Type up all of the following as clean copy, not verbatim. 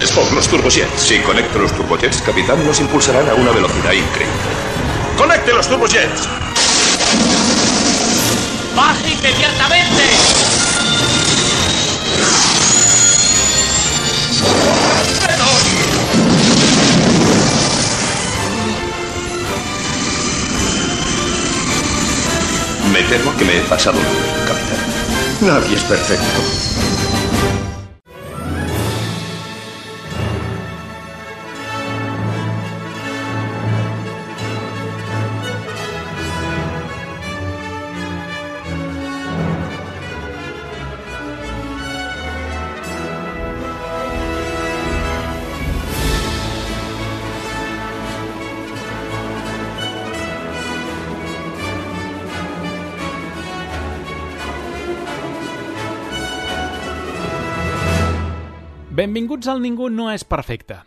Spock, los turbojets. Si conecto los turbojets, capitán, nos impulsarán a una velocidad increíble. ¡Conecte los turbojets! ¡Baje inmediatamente! Me temo que me he pasado, capitán. Nadie es perfecto. Benvinguts al Ningú no és perfecte.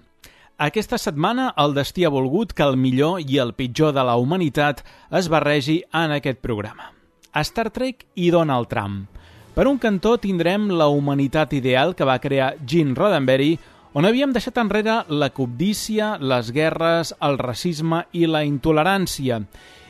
Aquesta setmana el destí ha volgut que el millor i el pitjor de la humanitat es barregi en aquest programa. Star Trek i Donald Trump. Per un cantó tindrem la humanitat ideal que va crear Gene Roddenberry, on havíem deixat enrere la cobdícia, les guerres, el racisme i la intolerància.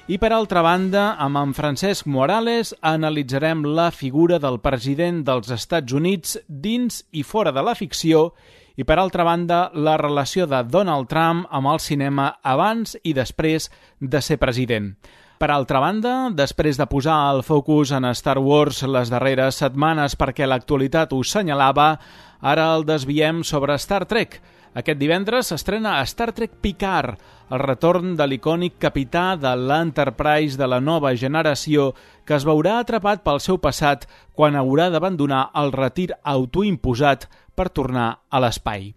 I per altra banda, amb en Francesc Morales analitzarem la figura del president dels Estats Units dins i fora de la ficció i per altra banda la relació de Donald Trump amb el cinema abans i després de ser president. Per altra banda, després de posar el focus en Star Wars les darreres setmanes perquè l'actualitat ho senyalava, ara el desviem sobre Star Trek. Aquest divendres s'estrena Star Trek Picard, el retorn de l'icònic capità de l'Enterprise de la nova generació que es veurà atrapat pel seu passat quan haurà d'abandonar el retir autoimposat per tornar a l'espai.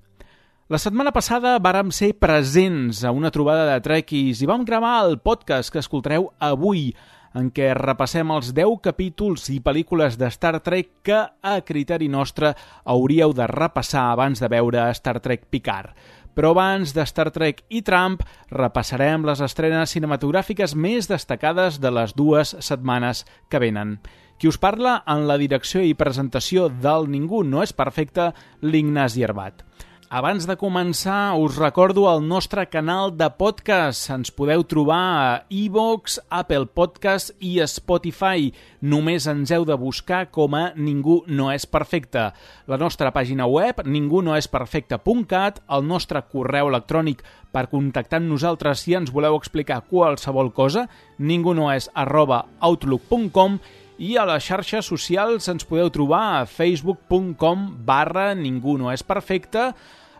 La setmana passada vàrem ser presents a una trobada de trekkies i vam gravar el podcast que escoltareu avui, en què repassem els 10 capítols i pel·lícules de Star Trek que, a criteri nostre, hauríeu de repassar abans de veure Star Trek Picard. Però abans de Star Trek i Trump, repassarem les estrenes cinematogràfiques més destacades de les 2 setmanes que venen. Qui us parla en la direcció i presentació del Ningú no és perfecte, l'Ignasi Herbat. Abans de començar, us recordo el nostre canal de podcast. Ens podeu trobar a iVoox, Apple Podcast i Spotify. Només ens heu de buscar com a Ningú no és perfecte. La nostra pàgina web, ningunoesperfecte.cat, el nostre correu electrònic per contactar amb nosaltres si ens voleu explicar qualsevol cosa, ningunoes@outlook.com, i a les xarxes socials ens podeu trobar a facebook.com/ningunoesperfecte,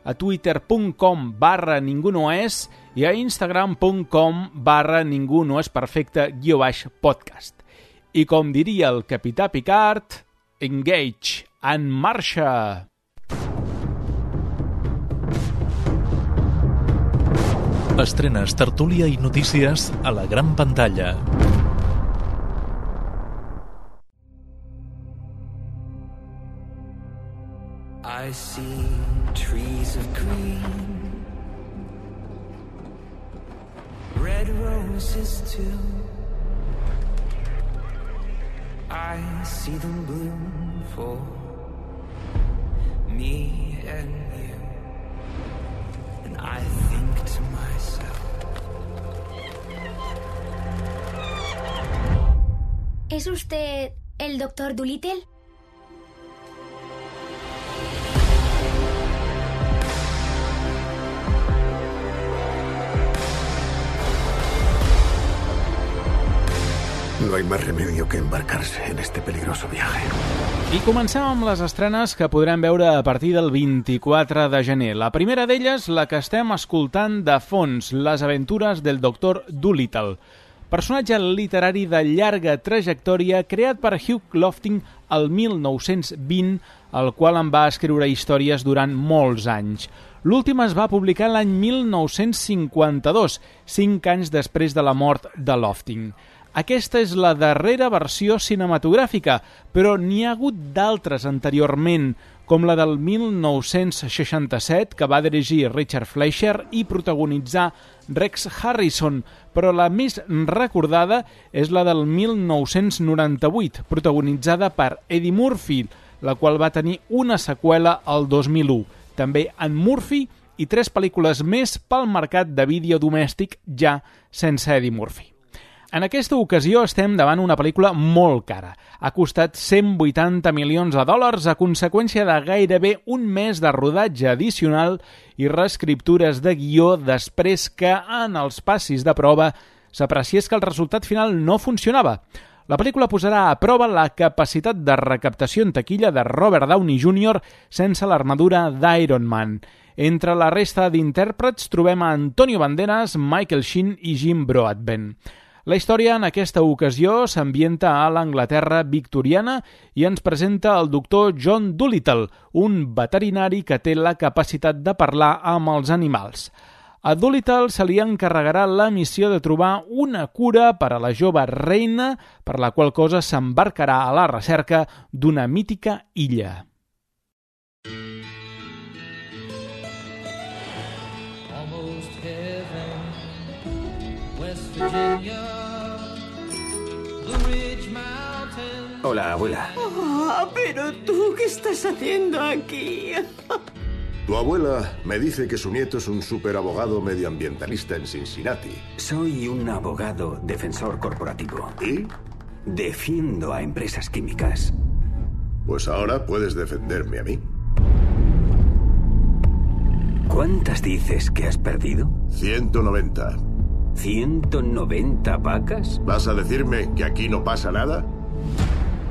a twitter.com/ningunoes i a instagram.com/ningunoesperfecte_podcast. I com diria el capità Picard, engage, en marxa! Estrenes, tertúlia i notícies a la gran pantalla. I see trees of green, red roses too. I see them bloom for me and you, and I think to myself, ¿es usted el Dr. Dolittle? No hay más remedio que embarcarse en este peligroso viaje. I comencem amb les estrenes que podrem veure a partir del 24 de gener. La primera d'elles, la que estem escoltant de fons, Les aventures del Dr. Dolittle. Personatge literari de llarga trajectòria creat per Hugh Lofting el 1920, el qual en va escriure històries durant molts anys. L'última es va publicar l'any 1952, 5 anys després de la mort de Lofting. Aquesta és la darrera versió cinematogràfica, però n'hi ha hagut d'altres anteriorment, com la del 1967, que va dirigir Richard Fleischer i protagonitzar Rex Harrison, però la més recordada és la del 1998, protagonitzada per Eddie Murphy, la qual va tenir una seqüela el 2001, també en Murphy i 3 pel·lícules més pel mercat de vídeo domèstic ja sense Eddie Murphy. En aquesta ocasió estem davant una pel·lícula molt cara. Ha costat $180 milions a conseqüència de gairebé un mes de rodatge addicional i reescriptures de guió després que en els passis de prova s'apreciés que el resultat final no funcionava. La pel·lícula posarà a prova la capacitat de recaptació en taquilla de Robert Downey Jr. sense l'armadura d'Iron Man. Entre la resta d'intèrprets trobem a Antonio Banderas, Michael Sheen i Jim Broadbent. La història en aquesta ocasió s'ambienta a l'Anglaterra victoriana i ens presenta el doctor John Dolittle, un veterinari que té la capacitat de parlar amb els animals. A Dolittle se li encarregarà la missió de trobar una cura per a la jove reina, per la qual cosa s'embarcarà a la recerca d'una mítica illa. Hola, abuela. Oh, pero tú, ¿qué estás haciendo aquí? Tu abuela me dice que su nieto es un superabogado medioambientalista en Cincinnati. Soy un abogado defensor corporativo. ¿Y? Defiendo a empresas químicas. Pues ahora puedes defenderme a mí. ¿Cuántas dices que has perdido? 190. ¿190 vacas? ¿Vas a decirme que aquí no pasa nada?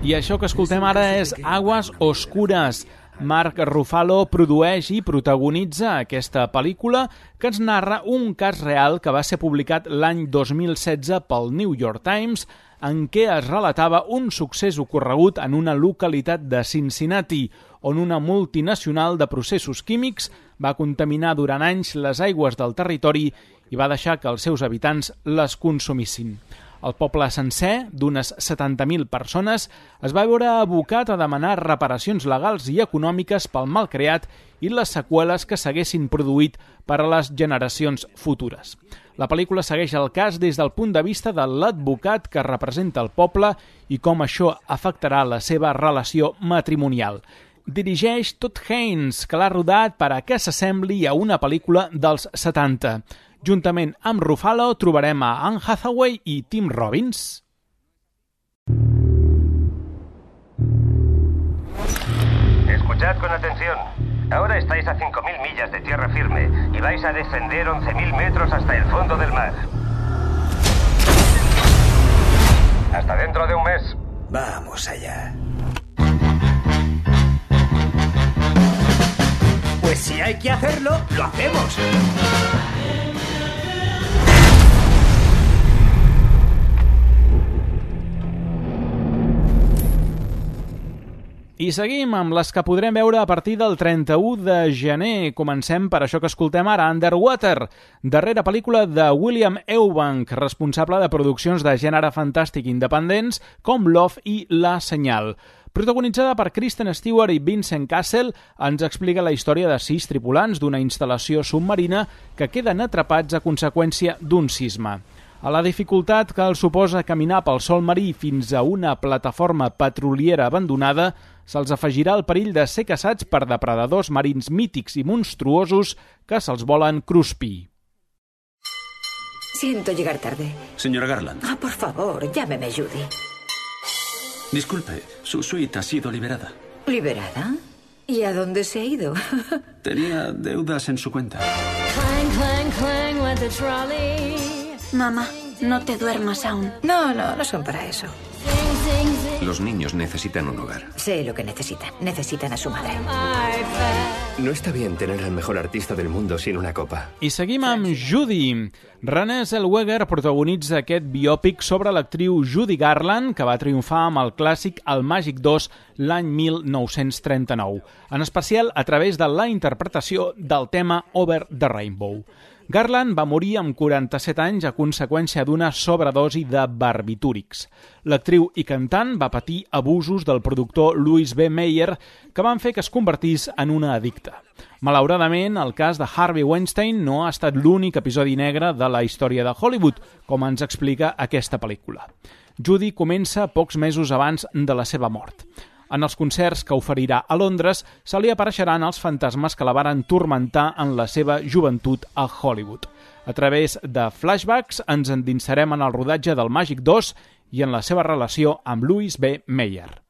I això que escoltem ara és Aguas Oscuras. Mark Ruffalo produeix i protagonitza aquesta pel·lícula que ens narra un cas real que va ser publicat l'any 2016 pel New York Times en què es relatava un succés ocorregut en una localitat de Cincinnati on una multinacional de processos químics va contaminar durant anys les aigües del territori i va deixar que els seus habitants les consumissin. El poble sencer, d'unes 70.000 persones, es va veure abocat a demanar reparacions legals i econòmiques pel mal creat i les seqüeles que s'haguessin produït per a les generacions futures. La pel·lícula segueix el cas des del punt de vista de l'advocat que representa el poble i com això afectarà la seva relació matrimonial. Dirigeix Todd Haynes, que l'ha rodat per a que s'assembli a una pel·lícula dels 70. Juntament amb Ruffalo trobarem a Anne Hathaway i Tim Robbins. Escuchad con atención. Ahora estáis a 5.000 millas de tierra firme y vais a descender 11.000 metros hasta el fondo del mar. Hasta dentro de un mes. Vamos allá. Pues si hay que hacerlo, lo hacemos. I seguim amb les que podrem veure a partir del 31 de gener. Comencem per això que escoltem ara, Underwater, darrera pel·lícula de William Eubank, responsable de produccions de gènere fantàstic independents com Love i La Senyal. Protagonitzada per Kristen Stewart i Vincent Cassel, ens explica la història de 6 tripulants d'una instal·lació submarina que queden atrapats a conseqüència d'un sisme. A la dificultat que els suposa caminar pel sòl marí fins a una plataforma petroliera abandonada, se'ls afegirà el perill de ser caçats per depredadors marins mítics i monstruosos que se'ls volen cruspir. Siento llegar tarde. Señora Garland. Ah, por favor, llámeme Judy. Disculpe, su suite ha sido liberada. ¿Liberada? ¿Y a dónde se ha ido? Tenía deudas en su cuenta. Mamá, no te duermas aún. No son para eso. Los niños necesitan un hogar. Sé lo que necesitan. Necesitan a su madre. No está bien tener al mejor artista del mundo sin una copa. I seguim amb Judy. Renée Zellweger protagonitza aquest biòpic sobre l'actriu Judy Garland, que va triomfar amb el clàssic El Màgic 2 l'any 1939, en especial a través de la interpretació del tema Over the Rainbow. Garland va morir amb 47 anys a conseqüència d'una sobredosi de barbitúrics. L'actriu i cantant va patir abusos del productor Louis B. Mayer que van fer que es convertís en una addicta. Malauradament, el cas de Harvey Weinstein no ha estat l'únic episodi negre de la història de Hollywood, com ens explica aquesta pel·lícula. Judy comença pocs mesos abans de la seva mort. En els concerts que oferirà a Londres se li apareixeran els fantasmes que la varen turmentar en la seva joventut a Hollywood. A través de flashbacks ens endinsarem en el rodatge del Màgic 2 i en la seva relació amb Louis B. Mayer.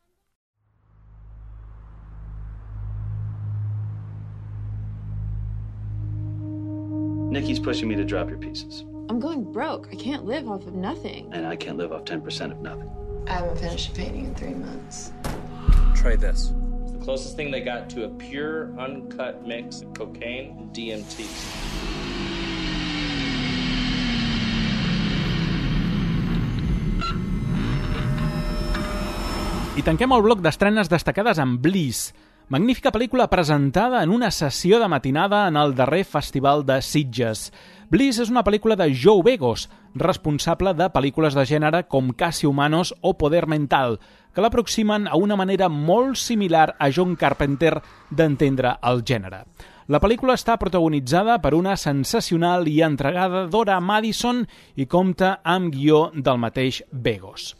Nikki's pushing me to drop your pieces. I'm going broke. I can't live off of nothing. And I can't live off 10% of nothing. I haven't finished a painting in 3 months. Try this. It's the closest thing they got to a pure, uncut mix of cocaine and DMT. I tanquem el bloc d'estrenes destacades amb Bliss, magnífica pel·lícula presentada en una sessió de matinada en el darrer Festival de Sitges. Bliss és una pel·lícula de Joe Begos, responsable de pel·lícules de gènere com Casi Humanos o Poder Mental, que l'aproximen a una manera molt similar a John Carpenter d'entendre el gènere. La pel·lícula està protagonitzada per una sensacional i entregada Dora Madison i compta amb guió del mateix Begos.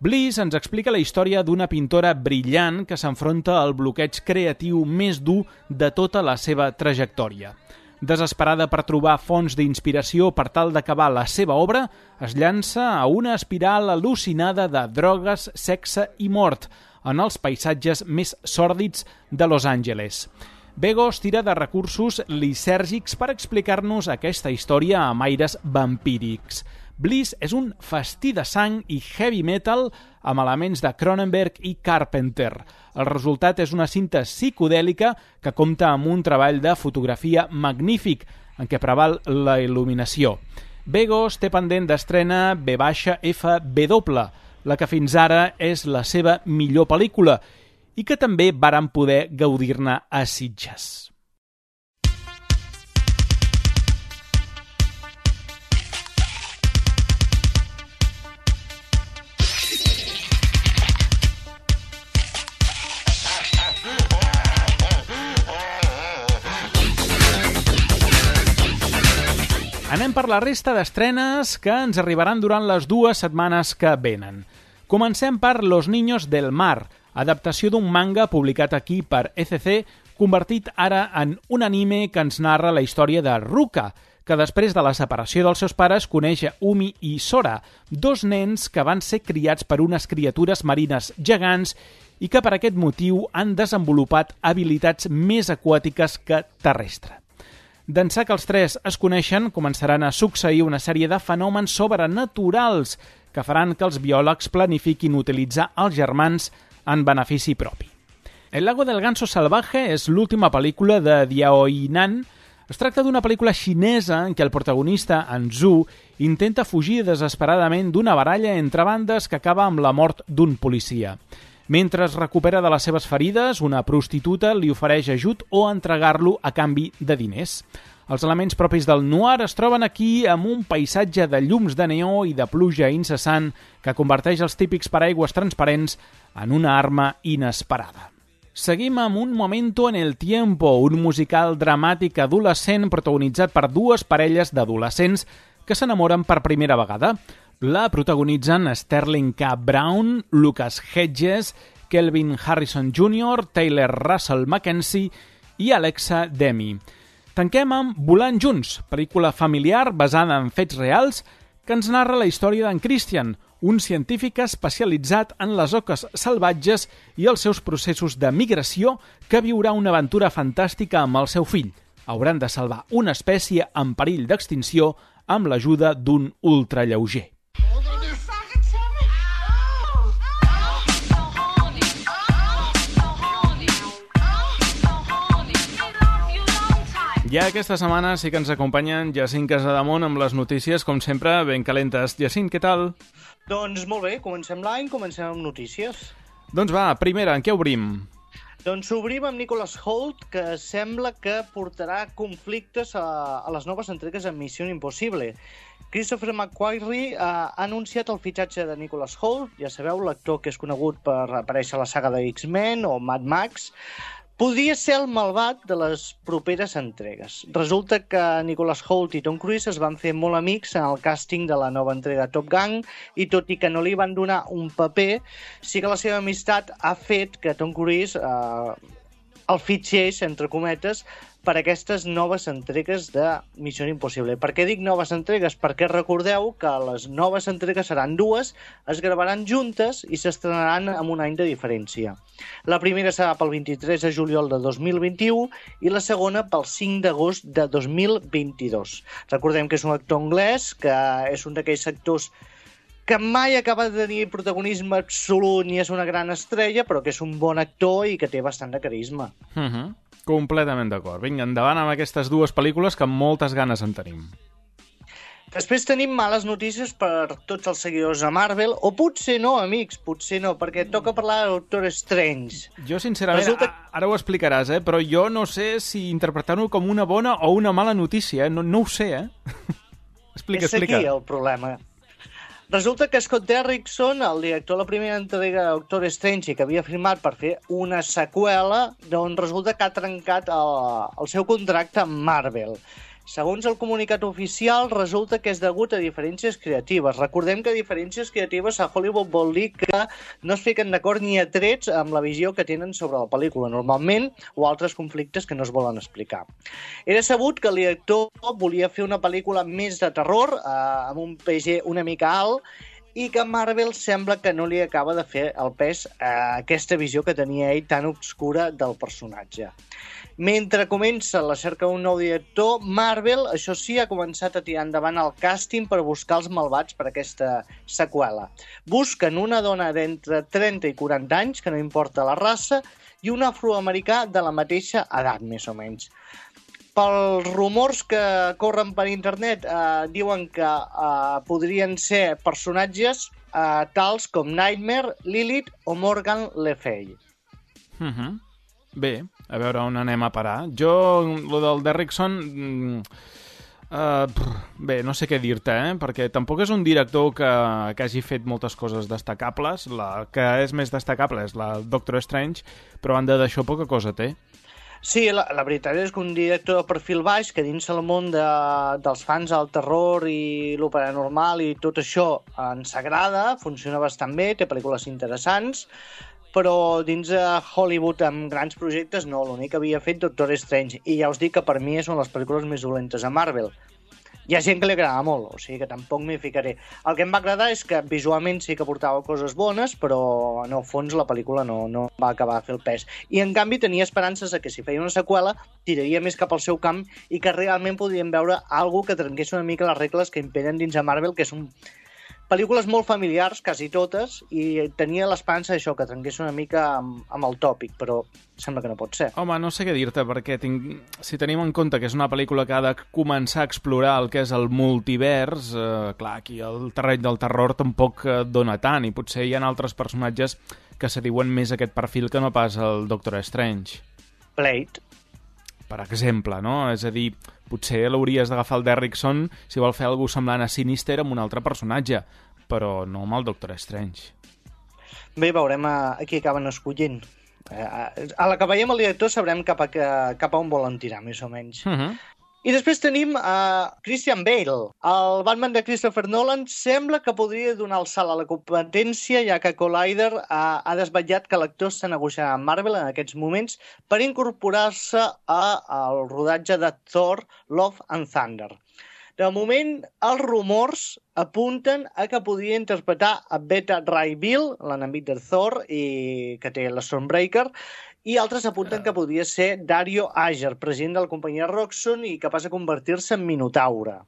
Bliss ens explica la història d'una pintora brillant que s'enfronta al bloqueig creatiu més dur de tota la seva trajectòria. Desesperada per trobar fonts d'inspiració per tal d'acabar la seva obra, es llança a una espiral al·lucinada de drogues, sexe i mort en els paisatges més sòrdids de Los Angeles. Begos tira de recursos lisèrgics per explicar-nos aquesta història amb aires vampírics. Bliss és un festí de sang i heavy metal amb elements de Cronenberg i Carpenter. El resultat és una cinta psicodèlica que compta amb un treball de fotografia magnífic en què preval la il·luminació. Begos té pendent d'estrena V-FW, la que fins ara és la seva millor pel·lícula i que també varen poder gaudir-ne a Sitges. Anem per la resta d'estrenes que ens arribaran durant les 2 setmanes que venen. Comencem per Los Niños del Mar, adaptació d'un manga publicat aquí per ECC, convertit ara en un anime que ens narra la història de Ruka, que després de la separació dels seus pares coneix Umi i Sora, 2 nens que van ser criats per unes criatures marines gegants i que per aquest motiu han desenvolupat habilitats més aquàtiques que terrestres. D'ençà que els 3 es coneixen, començaran a succeir una sèrie de fenòmens sobrenaturals que faran que els biòlegs planifiquin utilitzar els germans en benefici propi. El lago del ganso salvaje és l'última pel·lícula de Diao Nan. Es tracta d'una pel·lícula xinesa en què el protagonista, en Zhu, intenta fugir desesperadament d'una baralla entre bandes que acaba amb la mort d'un policia. Mentre es recupera de les seves ferides, una prostituta li ofereix ajut o entregar-lo a canvi de diners. Els elements propis del noir es troben aquí amb un paisatge de llums de neó i de pluja incessant que converteix els típics paraigües transparents en una arma inesperada. Seguim amb Un momento en el tiempo, un musical dramàtic adolescent protagonitzat per 2 parelles d'adolescents que s'enamoren per primera vegada. La protagonitzen Sterling K. Brown, Lucas Hedges, Kelvin Harrison Jr., Taylor Russell Mackenzie i Alexa Demi. Tanquem amb Volant junts, pel·lícula familiar basada en fets reals que ens narra la història d'en Christian, un científic especialitzat en les oques salvatges i els seus processos de migració que viurà una aventura fantàstica amb el seu fill. Hauran de salvar una espècie en perill d'extinció amb l'ajuda d'un ultralleuger. Ja aquesta setmana sí que ens acompanyen Jacint Casademont amb les notícies, com sempre, ben calentes. Jacint, què tal? Doncs molt bé, comencem l'any, comencem amb notícies. Doncs va, primera, en què obrim? Doncs obrim amb Nicholas Hoult, que sembla que portarà conflictes a les noves entregues en Missió Impossible. Christopher McQuarrie ha anunciat el fitxatge de Nicholas Hoult, ja sabeu, l'actor que és conegut per aparèixer a la saga de X-Men o Mad Max, podria ser el malvat de les properes entregues. Resulta que Nicholas Hoult i Tom Cruise es van fer molt amics en el càsting de la nova entrega de Top Gun i tot i que no li van donar un paper, sí que la seva amistat ha fet que Tom Cruise el fitxés, entre cometes, per aquestes noves entregues de Missió Impossible. Per què dic noves entregues? Perquè recordeu que les noves entregues seran dues, es gravaran juntes i s'estrenaran amb un any de diferència. La primera serà pel 23 de juliol de 2021 i la segona pel 5 d'agost de 2022. Recordem que és un actor anglès, que és un d'aquells actors que mai acaba de tenir protagonisme absolut ni és una gran estrella, però que és un bon actor i que té bastant de carisma. Completament d'acord. Vinga, endavant amb aquestes dues pel·lícules que amb moltes ganes en tenim. Després tenim males notícies per tots els seguidors de Marvel, o potser no, amics, potser no, perquè toca parlar de Doctor Strange. Jo, sincerament, ara ho explicaràs, però jo no sé si interpretar-ho com una bona o una mala notícia, no ho sé, Explica. És aquí el problema. Resulta que Scott Derrickson, el director de la primera entrega de Doctor Strange, que havia firmat per fer una seqüela, doncs resulta que ha trencat el seu contracte amb Marvel. Segons el comunicat oficial, resulta que és degut a diferències creatives. Recordem que diferències creatives a Hollywood vol dir que no es fiquen d'acord ni a trets amb la visió que tenen sobre la pel·lícula, normalment, o altres conflictes que no es volen explicar. Era sabut que el director volia fer una pel·lícula més de terror, amb un PG una mica alt, i que Marvel sembla que no li acaba de fer el pes a aquesta visió que tenia ell tan obscura del personatge. Mentre comença la cerca d'un nou director, Marvel, això sí, ha començat a tirar endavant el càsting per buscar els malvats per aquesta seqüela. Busquen una dona d'entre 30 i 40 anys, que no importa la raça, i un afroamericà de la mateixa edat, més o menys. Pels rumors que corren per internet, diuen que podrien ser personatges tals com Nightmare, Lilith o Morgan Le Fay. Bé, a veure on anem a parar. Jo, lo del Derrickson... bé, no sé què dir-te, perquè tampoc és un director que hagi fet moltes coses destacables. La que és més destacable és la Doctor Strange, però a banda d'això poca cosa té. Sí, la veritat és que un director de perfil baix que dins el món dels fans del terror i lo paranormal i tot això ens agrada, funciona bastant bé, té pel·lícules interessants, però dins de Hollywood amb grans projectes no, l'únic que havia fet Doctor Strange, i ja us dic que per mi són les pel·lícules més dolentes a Marvel. Hi ha gent que li agrada molt, o sigui que tampoc m'hi ficaré. El que em va agradar és que visualment sí que portava coses bones, però en el fons la pel·lícula no va acabar de fer el pes. I en canvi tenia esperances de que si feia una seqüela tiraria més cap al seu camp i que realment podríem veure alguna que trenqués una mica les regles que imperen dins de Marvel, que són pel·lícules molt familiars, quasi totes, i tenia l'esperança d'això, que trenqués una mica amb el tòpic, però sembla que no pot ser. Home, no sé què dir-te, perquè si tenim en compte que és una pel·lícula que ha de començar a explorar el que és el multivers, clar, aquí el terreny del terror tampoc dona tant, i potser hi ha altres personatges que se diuen més aquest perfil que no pas el Doctor Strange. Blade. Per exemple, no? És a dir, potser l'hauries d'agafar el Derrickson si vol fer alguna semblant a Sinister amb un altre personatge, però no amb el Doctor Strange. Bé, veurem a qui acaben escollint. A la que veiem el director sabrem cap a on volen tirar, més o menys. I després tenim Christian Bale. El Batman de Christopher Nolan sembla que podria donar el salt a la competència, ja que Collider ha desvetllat que l'actor està negociant amb Marvel en aquests moments per incorporar-se al rodatge de Thor, Love and Thunder. De moment, els rumors apunten a que podria interpretar a Beta Ray Bill, l'enemic de Thor, i que té la Stormbreaker, i altres apunten que podria ser Dario Ager, president de la companyia Roxxon i capaç de convertir-se en Minotaure.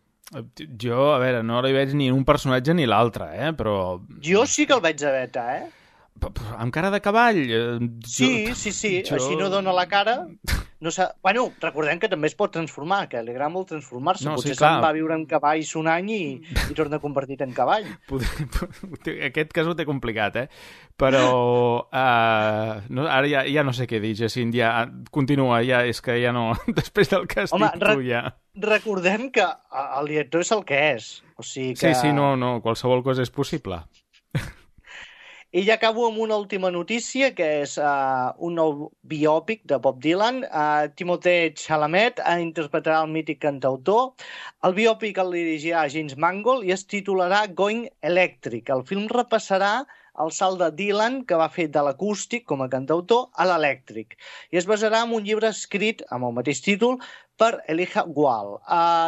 Jo, a veure, no li veig ni un personatge ni l'altre, però... Jo sí que el veig a Beta, Amb cara de cavall? Sí. Així no dona la cara. No sé... Bueno, recordem que també es pot transformar, que li agrada molt transformar-se. No, potser sí, clar. se'n va viure en cavalls un any i torna convertit en cavall. Aquest cas ho té complicat, Però ara ja no sé què dir, Jacint. Ja, continua, ja és que ja no... Després del que has dit tu, ja... Recordem que el director és el que és. O sigui que... Sí, no, qualsevol cosa és possible. I ja acabo amb una última notícia, que és un nou biòpic de Bob Dylan. Timothée Chalamet interpretarà el mític cantautor. El biòpic el dirigirà James Mangold i es titularà Going Electric. El film repassarà el salt de Dylan, que va fer de l'acústic com a cantautor a l'elèctric, i es basarà en un llibre escrit amb el mateix títol per Elijah Wall.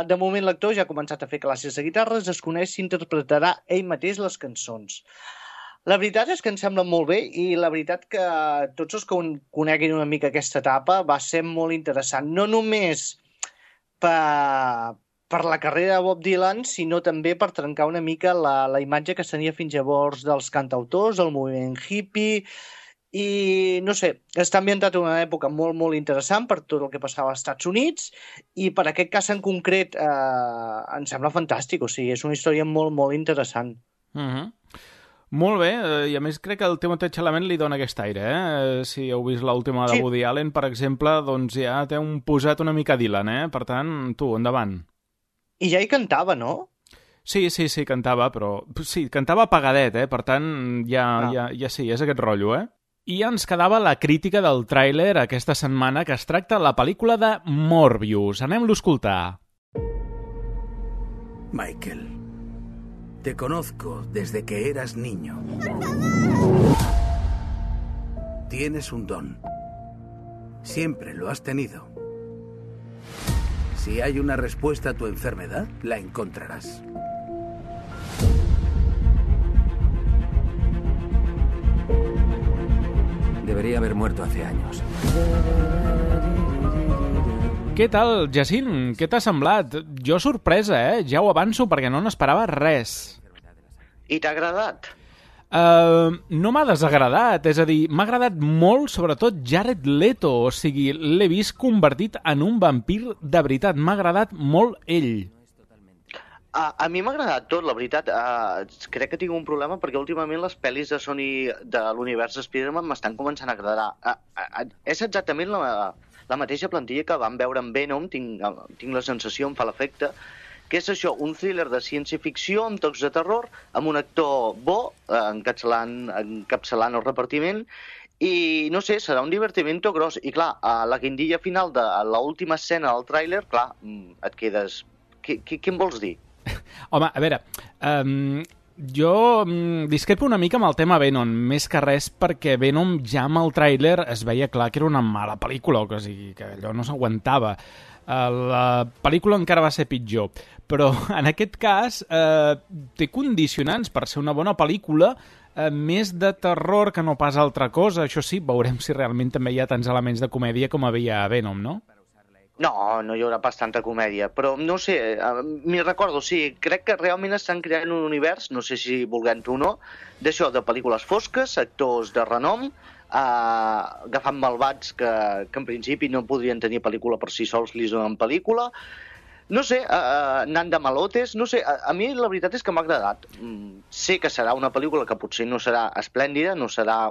De moment l'actor ja ha començat a fer classes de guitarra, es desconeix si interpretarà ell mateix les cançons. La veritat és que em sembla molt bé i la veritat que tots els que coneguin una mica aquesta etapa va ser molt interessant, no només per la carrera de Bob Dylan, sinó també per trencar una mica la imatge que es tenia fins llavors dels cantautors, el moviment hippie, i no sé, està ambientat en una època molt, molt interessant per tot el que passava als Estats Units, i per aquest cas en concret em sembla fantàstic, o sigui, és una història molt, molt interessant. Molt bé, i a més crec que el Timothée Chalamet li dona aquest aire, Si heu vist l'última de Woody Allen, per exemple, doncs ja té posat una mica Dylan, Per tant, tu, endavant. I ja hi cantava, no? Sí, cantava, però... Sí, cantava apagadet, Per tant, ja sí, és aquest rotllo, I ja ens quedava la crítica del tràiler aquesta setmana, que es tracta la pel·lícula de Morbius. Anem-lo a escoltar. Michael, te conozco desde que eras niño. Tienes un don. Siempre lo has tenido. Si hay una respuesta a tu enfermedad, la encontrarás. Debería haber muerto hace años. Què tal, Jacint? Què t'ha semblat? Jo sorpresa, Ja ho avanço perquè no n'esperava res. I t'ha agradat? No m'ha desagradat, és a dir, m'ha agradat molt, sobretot Jared Leto, o sigui, l'he vist convertit en un vampir de veritat, m'ha agradat molt ell. A mi m'ha agradat tot, la veritat. Crec que tinc un problema perquè últimament les pel·lis de Sony de l'univers Spider-Man m'estan començant a agradar. És exactament la mateixa plantilla que vam veure en Venom, tinc la sensació, em fa l'efecte, que és això, un thriller de ciència-ficció amb tocs de terror, amb un actor bo, encapçalant el repartiment, i no sé, serà un divertimento gros. I clar, a la guindilla final de l'última escena del tràiler, clar, et quedes... Què em vols dir? Home, a veure, jo discrepo una mica amb el tema Venom, més que res perquè Venom ja amb el tràiler es veia clar que era una mala pel·lícula, o sigui, que allò no s'aguantava. La pel·lícula encara va ser pitjor, però en aquest cas té condicionants per ser una bona pel·lícula, més de terror que no pas altra cosa. Això sí, veurem si realment també hi ha tants elements de comèdia com havia a Venom, no? No hi haurà pas tanta comèdia, però no sé, m'hi recordo, sí, crec que realment estan creant un univers, no sé si volent-ho o no, d'això, de pel·lícules fosques, actors de renom, agafant malvats que en principi no podrien tenir pel·lícula per si sols, li donen pel·lícula, no sé, anant de malotes, no sé, a mi la veritat és que m'ha agradat. Sé que serà una pel·lícula que potser no serà esplèndida, no serà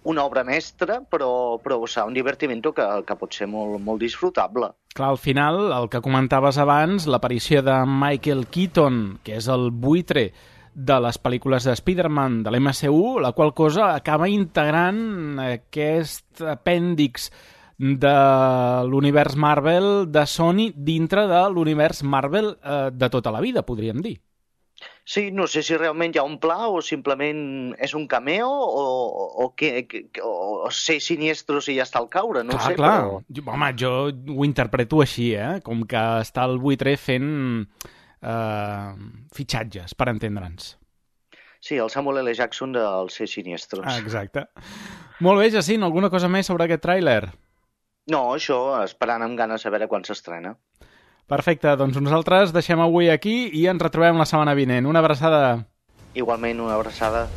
una obra mestra, però serà un divertimento que pot ser molt, molt disfrutable. Clar, al final, el que comentaves abans, l'aparició de Michael Keaton, que és el buitre de les pel·lícules de Spider-Man de l'MCU, la qual cosa acaba integrant aquest apèndix de l'univers Marvel de Sony dintre de l'univers Marvel de tota la vida, podríem dir. Sí, no sé si realment hi ha un pla o simplement és un cameo o ser siniestros i ja està al caure, no sé. Clar. Home, jo ho interpreto així, com que està el buitre fent fitxatges, per entendre'ns. Sí, el Samuel L. Jackson dels ser siniestros. Exacte. Molt bé, Jacint, alguna cosa més sobre aquest tràiler? No, això, esperant amb ganes a veure quan s'estrena. Perfecte, doncs nosaltres deixem avui aquí i ens retrobem la setmana vinent. Una abraçada. Igualment, una abraçada.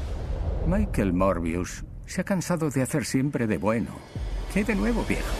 Michael Morbius se ha cansado de hacer siempre de bueno. ¿Qué de nuevo, viejo?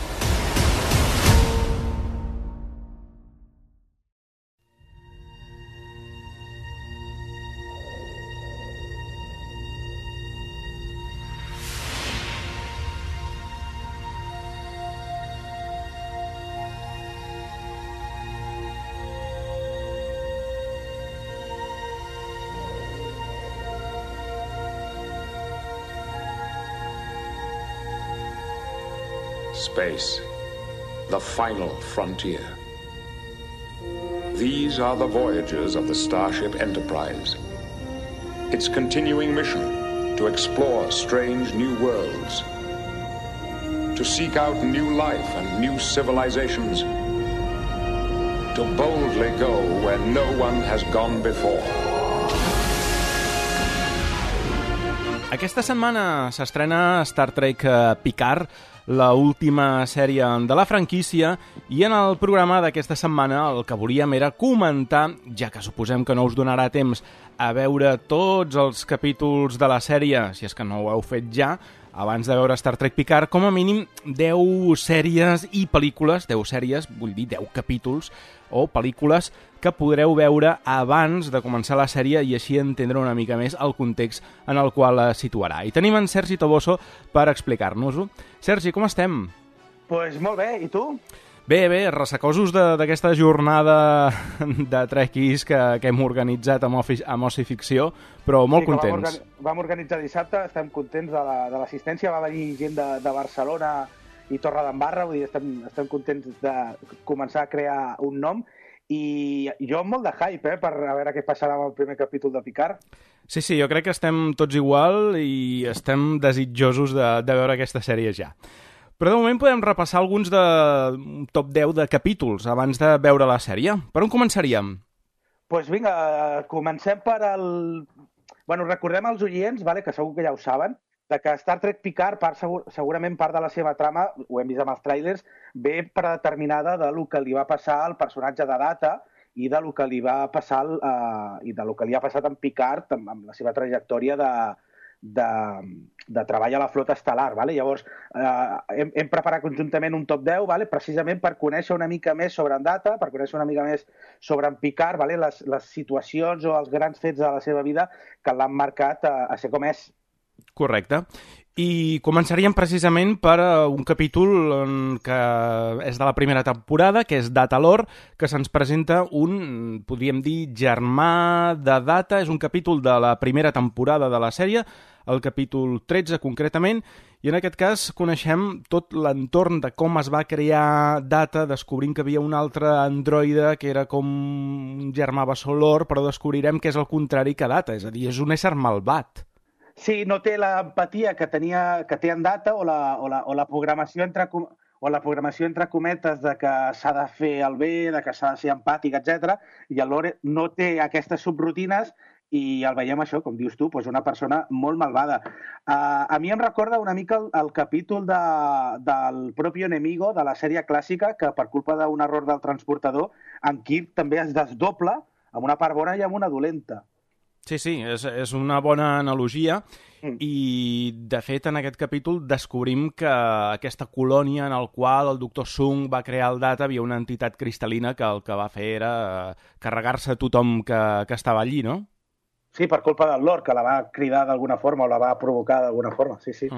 Space, the final frontier. These are the voyages of the Starship Enterprise. Its continuing mission to explore strange new worlds, to seek out new life and new civilizations, to boldly go where no one has gone before. Aquesta setmana s'estrena Star Trek Picard, la última sèrie de la franquícia, i en el programa d'aquesta setmana el que volíem era comentar, ja que suposem que no us donarà temps a veure tots els capítols de la sèrie, si és que no ho heu fet ja, abans de veure Star Trek Picard, com a mínim 10 sèries i pel·lícules, 10 sèries, vull dir 10 capítols o pel·lícules que podreu veure abans de començar la sèrie i així entendre una mica més el context en el qual es situarà. I tenim en Sergi Toboso per explicar-nos-ho. Sergi, com estem? Pues molt bé, i tu? Bé, ressacosos d'aquesta jornada de trekkies que hem organitzat amb Oci Ficció, però molt contents. Vam organitzar dissabte, estem contents de l'assistència, va venir gent de Barcelona i Torredembarra, vull dir, estem contents de començar a crear un nom, i jo amb molt de hype, per a veure què passarà amb el primer capítol de Picard. Sí, jo crec que estem tots igual i estem desitjosos de veure aquesta sèrie ja. Però de moment podem repassar alguns de top 10 de capítols abans de veure la sèrie. Per on començaríem? Doncs vinga, comencem per el... Bueno, recordem als oients, que segur que ja ho saben, que Star Trek Picard, segurament part de la seva trama, ho hem vist amb els tràilers, ve predeterminada del que li va passar al personatge de Data i del que li va passar i del que li ha passat amb Picard, amb la seva trajectòria de treball a la flota estel·lar. Llavors, hem preparat conjuntament un top 10, precisament per conèixer una mica més sobre en Data, per conèixer una mica més sobre en Picard, les situacions o els grans fets de la seva vida que l'han marcat a ser com és. Correcte. I començaríem precisament per un capítol que és de la primera temporada, que és Data Lore, que se'ns presenta un, podríem dir, germà de Data. És un capítol de la primera temporada de la sèrie, el capítol 13 concretament, i en aquest cas coneixem tot l'entorn de com es va crear Data, descobrint que havia un altre androide que era com un germà bessó Lore, però descobrirem que és el contrari que Data, és a dir, és un ésser malvat. Sí, no té l'empatia que té en Data o la programació entre cometes de que s'ha de fer el bé, de que s'ha de ser empàtic, etc. I el Lore no té aquestes subrutines i el veiem això, com dius tu, una persona molt malvada. A mi em recorda una mica el capítol del propi Enemigo, de la sèrie clàssica, que per culpa d'un error del transportador, en Kirk també es desdobla amb una part bona i amb una dolenta. Sí, és una bona analogia i, de fet, en aquest capítol descobrim que aquesta colònia en el qual el doctor Sung va crear el Data havia una entitat cristal·lina que el que va fer era carregar-se tothom que estava allí, no? Sí, per culpa del Lore, que la va cridar d'alguna forma o la va provocar d'alguna forma, sí.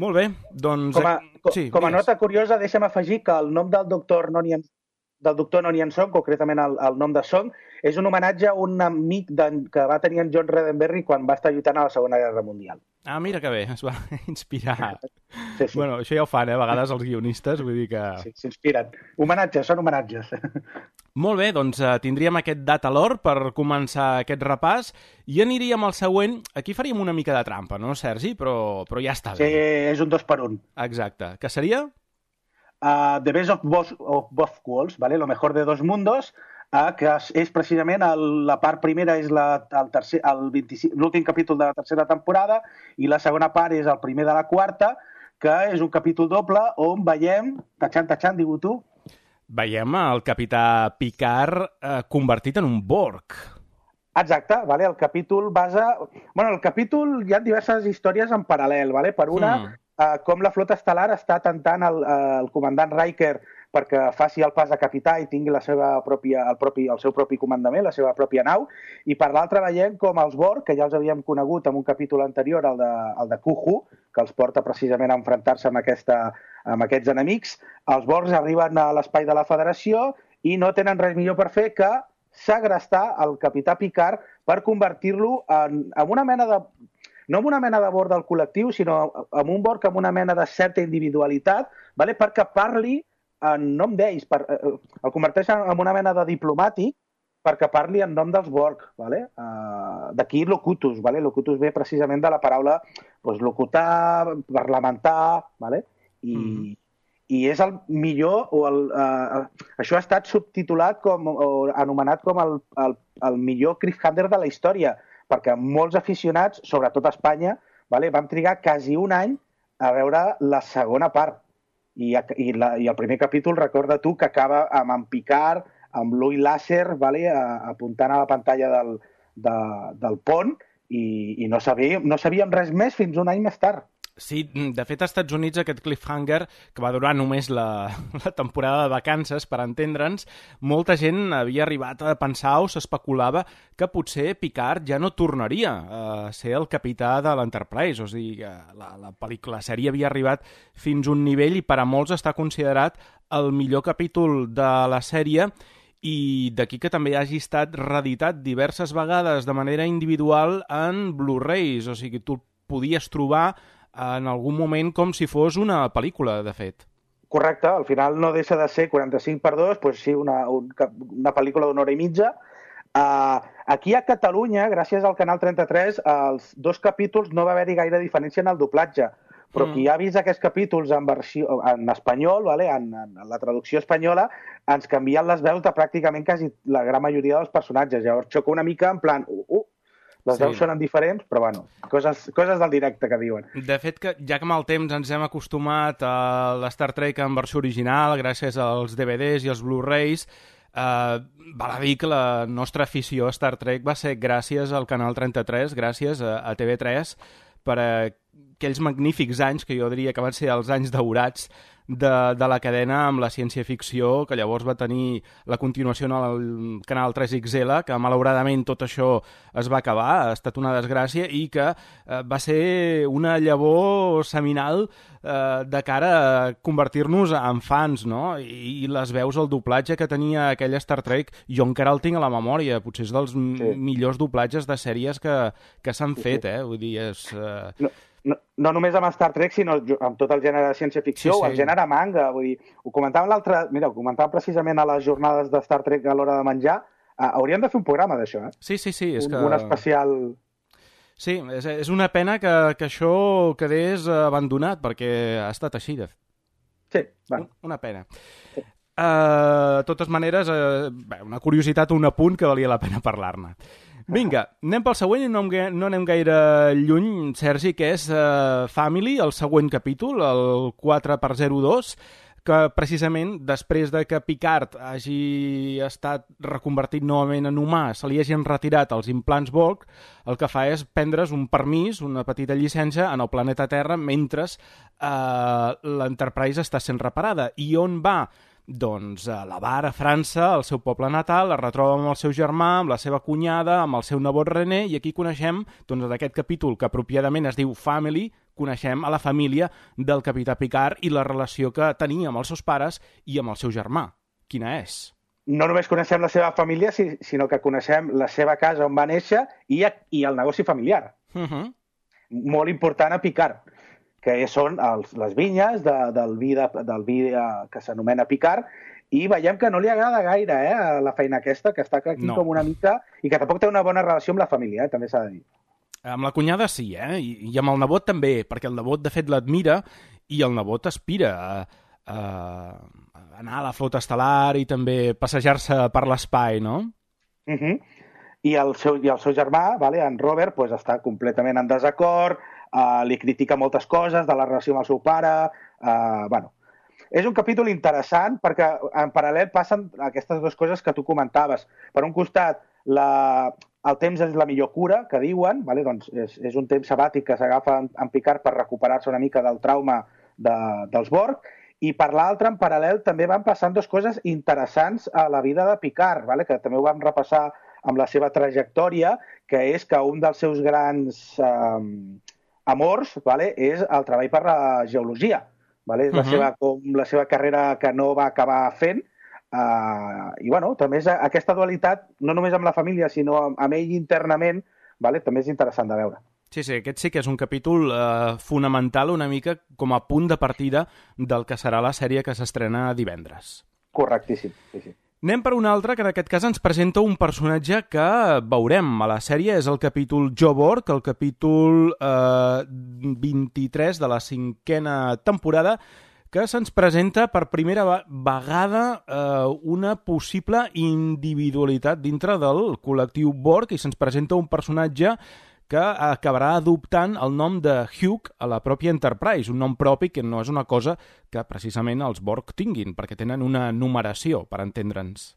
Molt bé, doncs... Com a nota curiosa, deixa'm afegir que el nom del doctor Nonian Song, concretament el nom de Song, és un homenatge a un amic que va tenir en John Roddenberry quan va estar lluitant a la Segona Guerra Mundial. Ah, mira que bé, es va inspirar. Sí. Bueno, això ja ho fan, a vegades els guionistes, vull dir que... Sí, s'inspiren. Homenatges, són homenatges. Molt bé, doncs tindríem aquest Data Lore per començar aquest repàs i aniríem al següent. Aquí faríem una mica de trampa, no, Sergi? Però ja està bé. Sí, és un 2 per 1. Exacte. Què seria? The Best of Both Worlds, lo mejor de dos mundos, que és precisament la part primera és l'últim capítol de la tercera temporada i la segona part és el primer de la quarta, que és un capítol doble on veiem, tachant, diu tu? Veiem el capità Picard convertit en un Borg. Exacte, el capítol basa... el capítol hi ha diverses històries en paral·lel, per una, com la flota estel·lar està tentant el comandant Riker perquè faci el pas de capità i tingui el seu propi comandament, la seva pròpia nau, i per l'altra veiem com els Borg, que ja els havíem conegut en un capítol anterior, el de Kuhu, que els porta precisament a enfrontar-se amb aquests enemics, els Borgs arriben a l'espai de la Federació i no tenen res millor per fer que segrestar el capità Picard per convertir-lo en una mena de... no amb una mena de Borg del col·lectiu, sinó amb un Borg amb una mena de certa individualitat, vale? Perquè parli en nom d'ells, el converteix en una mena de diplomàtic perquè parli en nom dels Borg. Vale? D'aquí locutus. Vale? Locutus ve precisament de la paraula locutar, parlamentar, vale? I és el millor, això ha estat subtitulat o anomenat com el millor cliffhanger de la història, perquè molts aficionats, sobretot a Espanya, vale, vam trigar quasi un any a veure la segona part. I el primer capítol, recorda tu, que acaba amb en Picard, amb l'ull làser, vale, apuntant a la pantalla del pont, i no sabíem res més fins un any més tard. Sí, de fet, als Estats Units aquest cliffhanger, que va durar només la temporada de vacances, per entendre'ns, molta gent havia arribat a pensar o s'especulava que potser Picard ja no tornaria a ser el capità de l'Enterprise. O sigui, la sèrie havia arribat fins a un nivell i per a molts està considerat el millor capítol de la sèrie, i d'aquí que també hagi estat reeditat diverses vegades de manera individual en Blu-rays. O sigui, tu el podies trobar en algun moment com si fos una pel·lícula, de fet. Correcte, al final no deixa de ser 45:2, doncs sí, una pel·lícula d'una hora i mitja. Aquí a Catalunya, gràcies al Canal 33, els 2 capítols no va haver-hi gaire diferència en el doblatge, però qui ha vist aquests capítols en espanyol, vale, en la traducció espanyola, ens canvien les veus de pràcticament quasi la gran majoria dels personatges. Llavors xoca una mica en plan... Les veus sonen diferents, però bueno, coses del directe que diuen. De fet, que ja que amb el temps ens hem acostumat a l'Star Trek en versió original, gràcies als DVDs i als Blu-rays, val a dir que la nostra afició a Star Trek va ser gràcies al Canal 33, gràcies a TV3, per aquells magnífics anys que jo diria que van ser els anys daurats de la cadena amb la ciència-ficció, que llavors va tenir la continuació en el canal 3XL, que malauradament tot això es va acabar, ha estat una desgràcia, i que va ser una llavor seminal de cara a convertir-nos en fans, no? I les veus, el doblatge que tenia aquell Star Trek, jo encara el tinc a la memòria, potser és dels millors doblatges de sèries que s'han fet, vull dir, és... No només amb Star Trek, sinó amb tot el gènere de ciència-ficció o el gènere manga. Vull dir, ho comentàvem precisament a les jornades de Star Trek a l'hora de menjar. Hauríem de fer un programa d'això, eh? Sí. Un especial... Sí, és una pena que això quedés abandonat, perquè ha estat així. Sí, bueno. Una pena. De totes maneres, una curiositat o un apunt que valia la pena parlar-ne. Vinga, anem pel següent i no anem gaire lluny, Sergi, que és Family, el següent capítol, el 4x02, que precisament després de que Picard hagi estat reconvertit novament en humà, se li hagin retirat els implants Borg, el que fa és prendre's un permís, una petita llicència en el planeta Terra mentre l'Enterprise està sent reparada. I on va? Doncs a la Bar, a França, al seu poble natal, es retroba amb el seu germà, amb la seva cunyada, amb el seu nebot René, i aquí coneixem, doncs, d'aquest capítol que apropiadament es diu Family, coneixem a la família del capità Picard i la relació que tenia amb els seus pares i amb el seu germà. Quina és? No només coneixem la seva família, sinó que coneixem la seva casa on va néixer i el negoci familiar. Molt important a Picard, que són les vinyes del vi que s'anomena Picard, i veiem que no li agrada gaire la feina aquesta, que està aquí com una mica, i que tampoc té una bona relació amb la família, també s'ha de dir. Amb la cunyada sí, i amb el nebot també, perquè el nebot de fet l'admira i el nebot aspira a anar a la flota estel·lar i també passejar-se per l'espai, no? I el seu germà, en Robert, està completament en desacord, li critica moltes coses de la relació amb el seu pare. És un capítol interessant perquè en paral·lel passen aquestes dues coses que tu comentaves. Per un costat, el temps és la millor cura, que diuen, doncs és un temps sabàtic que s'agafa en Picard per recuperar-se una mica del trauma dels Borg, i per l'altre, en paral·lel, també van passant dues coses interessants a la vida de Picard, que també ho vam repassar amb la seva trajectòria, que és que un dels seus grans amors és el treball per la geologia. És la seva carrera que no va acabar fent. I també és aquesta dualitat, no només amb la família, sinó amb ell internament, també és interessant de veure. Sí, aquest sí que és un capítol fonamental, una mica com a punt de partida del que serà la sèrie que s'estrena divendres. Correctíssim, sí. Anem per un altre, que en aquest cas ens presenta un personatge que veurem a la sèrie. És el capítol Jo Borg, el capítol 23 de la 5a temporada, que se'ns presenta per primera vegada una possible individualitat dintre del col·lectiu Borg, i se'ns presenta un personatge que acabarà adoptant el nom de Hugh a la pròpia Enterprise, un nom propi que no és una cosa que precisament els Borg tinguin, perquè tenen una numeració, per entendre'ns.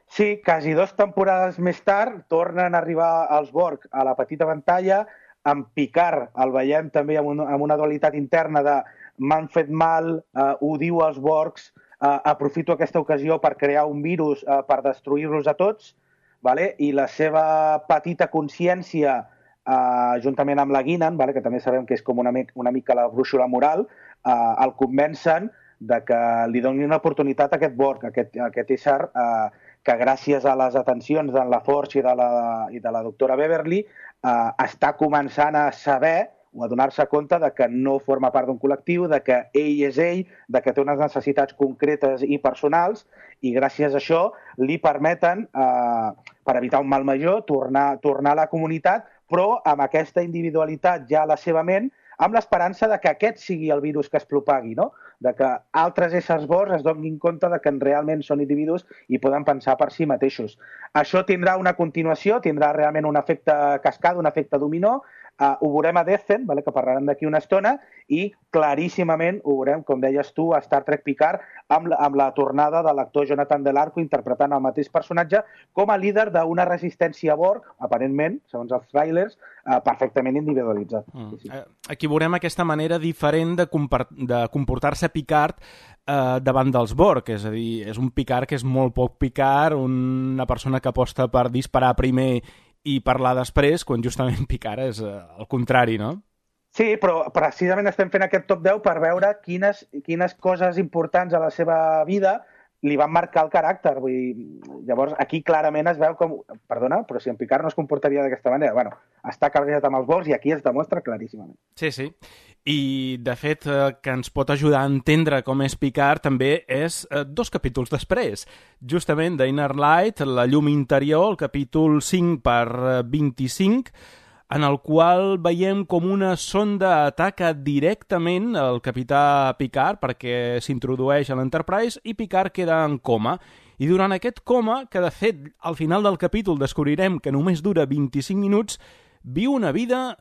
Sí, quasi 2 temporades més tard tornen a arribar els Borg a la petita pantalla. Amb Picard el veiem també amb una dualitat interna de m'han fet mal, ho diu als Borgs, aprofito aquesta ocasió per crear un virus per destruir-los a tots, vale? I la seva petita consciència, juntament amb la Guinan, vale? Que també sabem que és com una mica la brúixola moral, el convencen de que li donin una oportunitat a aquest Borg, a aquest ésser que gràcies a les atencions d'en LaForge i de la doctora Beverly està començant a saber o a donar-se compte de que no forma part d'un col·lectiu, de que ell és ell, de que té unes necessitats concretes i personals, i gràcies a això li permeten, per evitar un mal major, tornar a la comunitat, però amb aquesta individualitat ja a la seva ment, amb l'esperança de que aquest sigui el virus que es propagui, no? De que altres éssers Borg es donin compte de que realment són individus i poden pensar per si mateixos. Això tindrà una continuació, tindrà realment un efecte cascada, un efecte dominó. Ho veurem a Descent, que parlarem d'aquí una estona, i claríssimament ho veurem, com deies tu, a Star Trek Picard, amb la tornada de l'actor Jonathan Del Arco interpretant el mateix personatge com a líder d'una resistència Borg, aparentment, segons els trailers, perfectament individualitzat. Sí. Aquí veurem aquesta manera diferent de comportar-se Picard davant dels Borg, és a dir, és un Picard que és molt poc Picard, una persona que aposta per disparar primer i parlar després, quan justament Picard és el contrari, no? Sí, però precisament estem fent aquest top 10 per veure quines coses importants a la seva vida li van marcar el caràcter. Vull dir, llavors, aquí clarament es veu com... Perdona, però si en Picard no es comportaria d'aquesta manera. Bueno, està cabreat amb els Borgs i aquí es demostra claríssimament. Sí. I, de fet, que ens pot ajudar a entendre com és Picard també és 2 capítols després. Justament d'Inner Light, la llum interior, el capítol 5/25, en el qual veiem com una sonda ataca directament el capità Picard perquè s'introdueix a l'Enterprise i Picard queda en coma. I durant aquest coma, que de fet al final del capítol descobrirem que només dura 25 minuts, viu una vida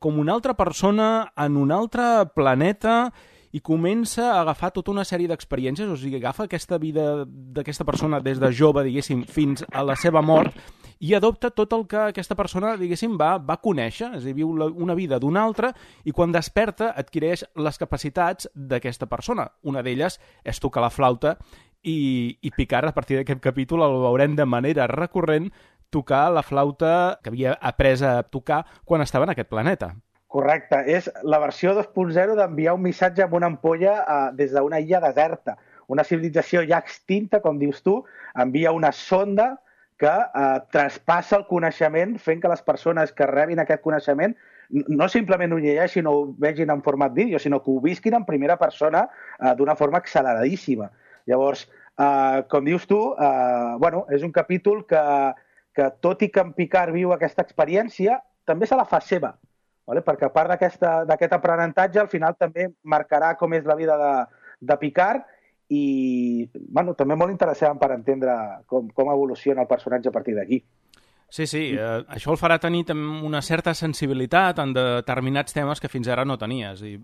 com una altra persona en un altre planeta i comença a agafar tota una sèrie d'experiències, o sigui, agafa aquesta vida d'aquesta persona des de jove, diguéssim, fins a la seva mort i adopta tot el que aquesta persona, diguéssim, va conèixer, és a dir, viu una vida d'una altra i quan desperta adquireix les capacitats d'aquesta persona. Una d'elles és tocar la flauta i Picard, a partir d'aquest capítol, el veurem de manera recurrent tocar la flauta que havia après a tocar quan estava en aquest planeta. Correcte, és la versió 2.0 d'enviar un missatge amb una ampolla des d'una illa deserta. Una civilització ja extinta, com dius tu, envia una sonda que traspassa el coneixement fent que les persones que rebin aquest coneixement no simplement ho llegeixin o ho vegin en format vídeo, sinó que ho visquin en primera persona d'una forma acceleradíssima. Llavors, com dius tu, és un capítol que tot i que en Picard viu aquesta experiència, també se la fa seva, perquè a part d'aquest aprenentatge, al final també marcarà com és la vida de Picard i també molt interessant per entendre com evoluciona el personatge a partir d'aquí. Sí, això el farà tenir una certa sensibilitat en determinats temes que fins ara no tenies. I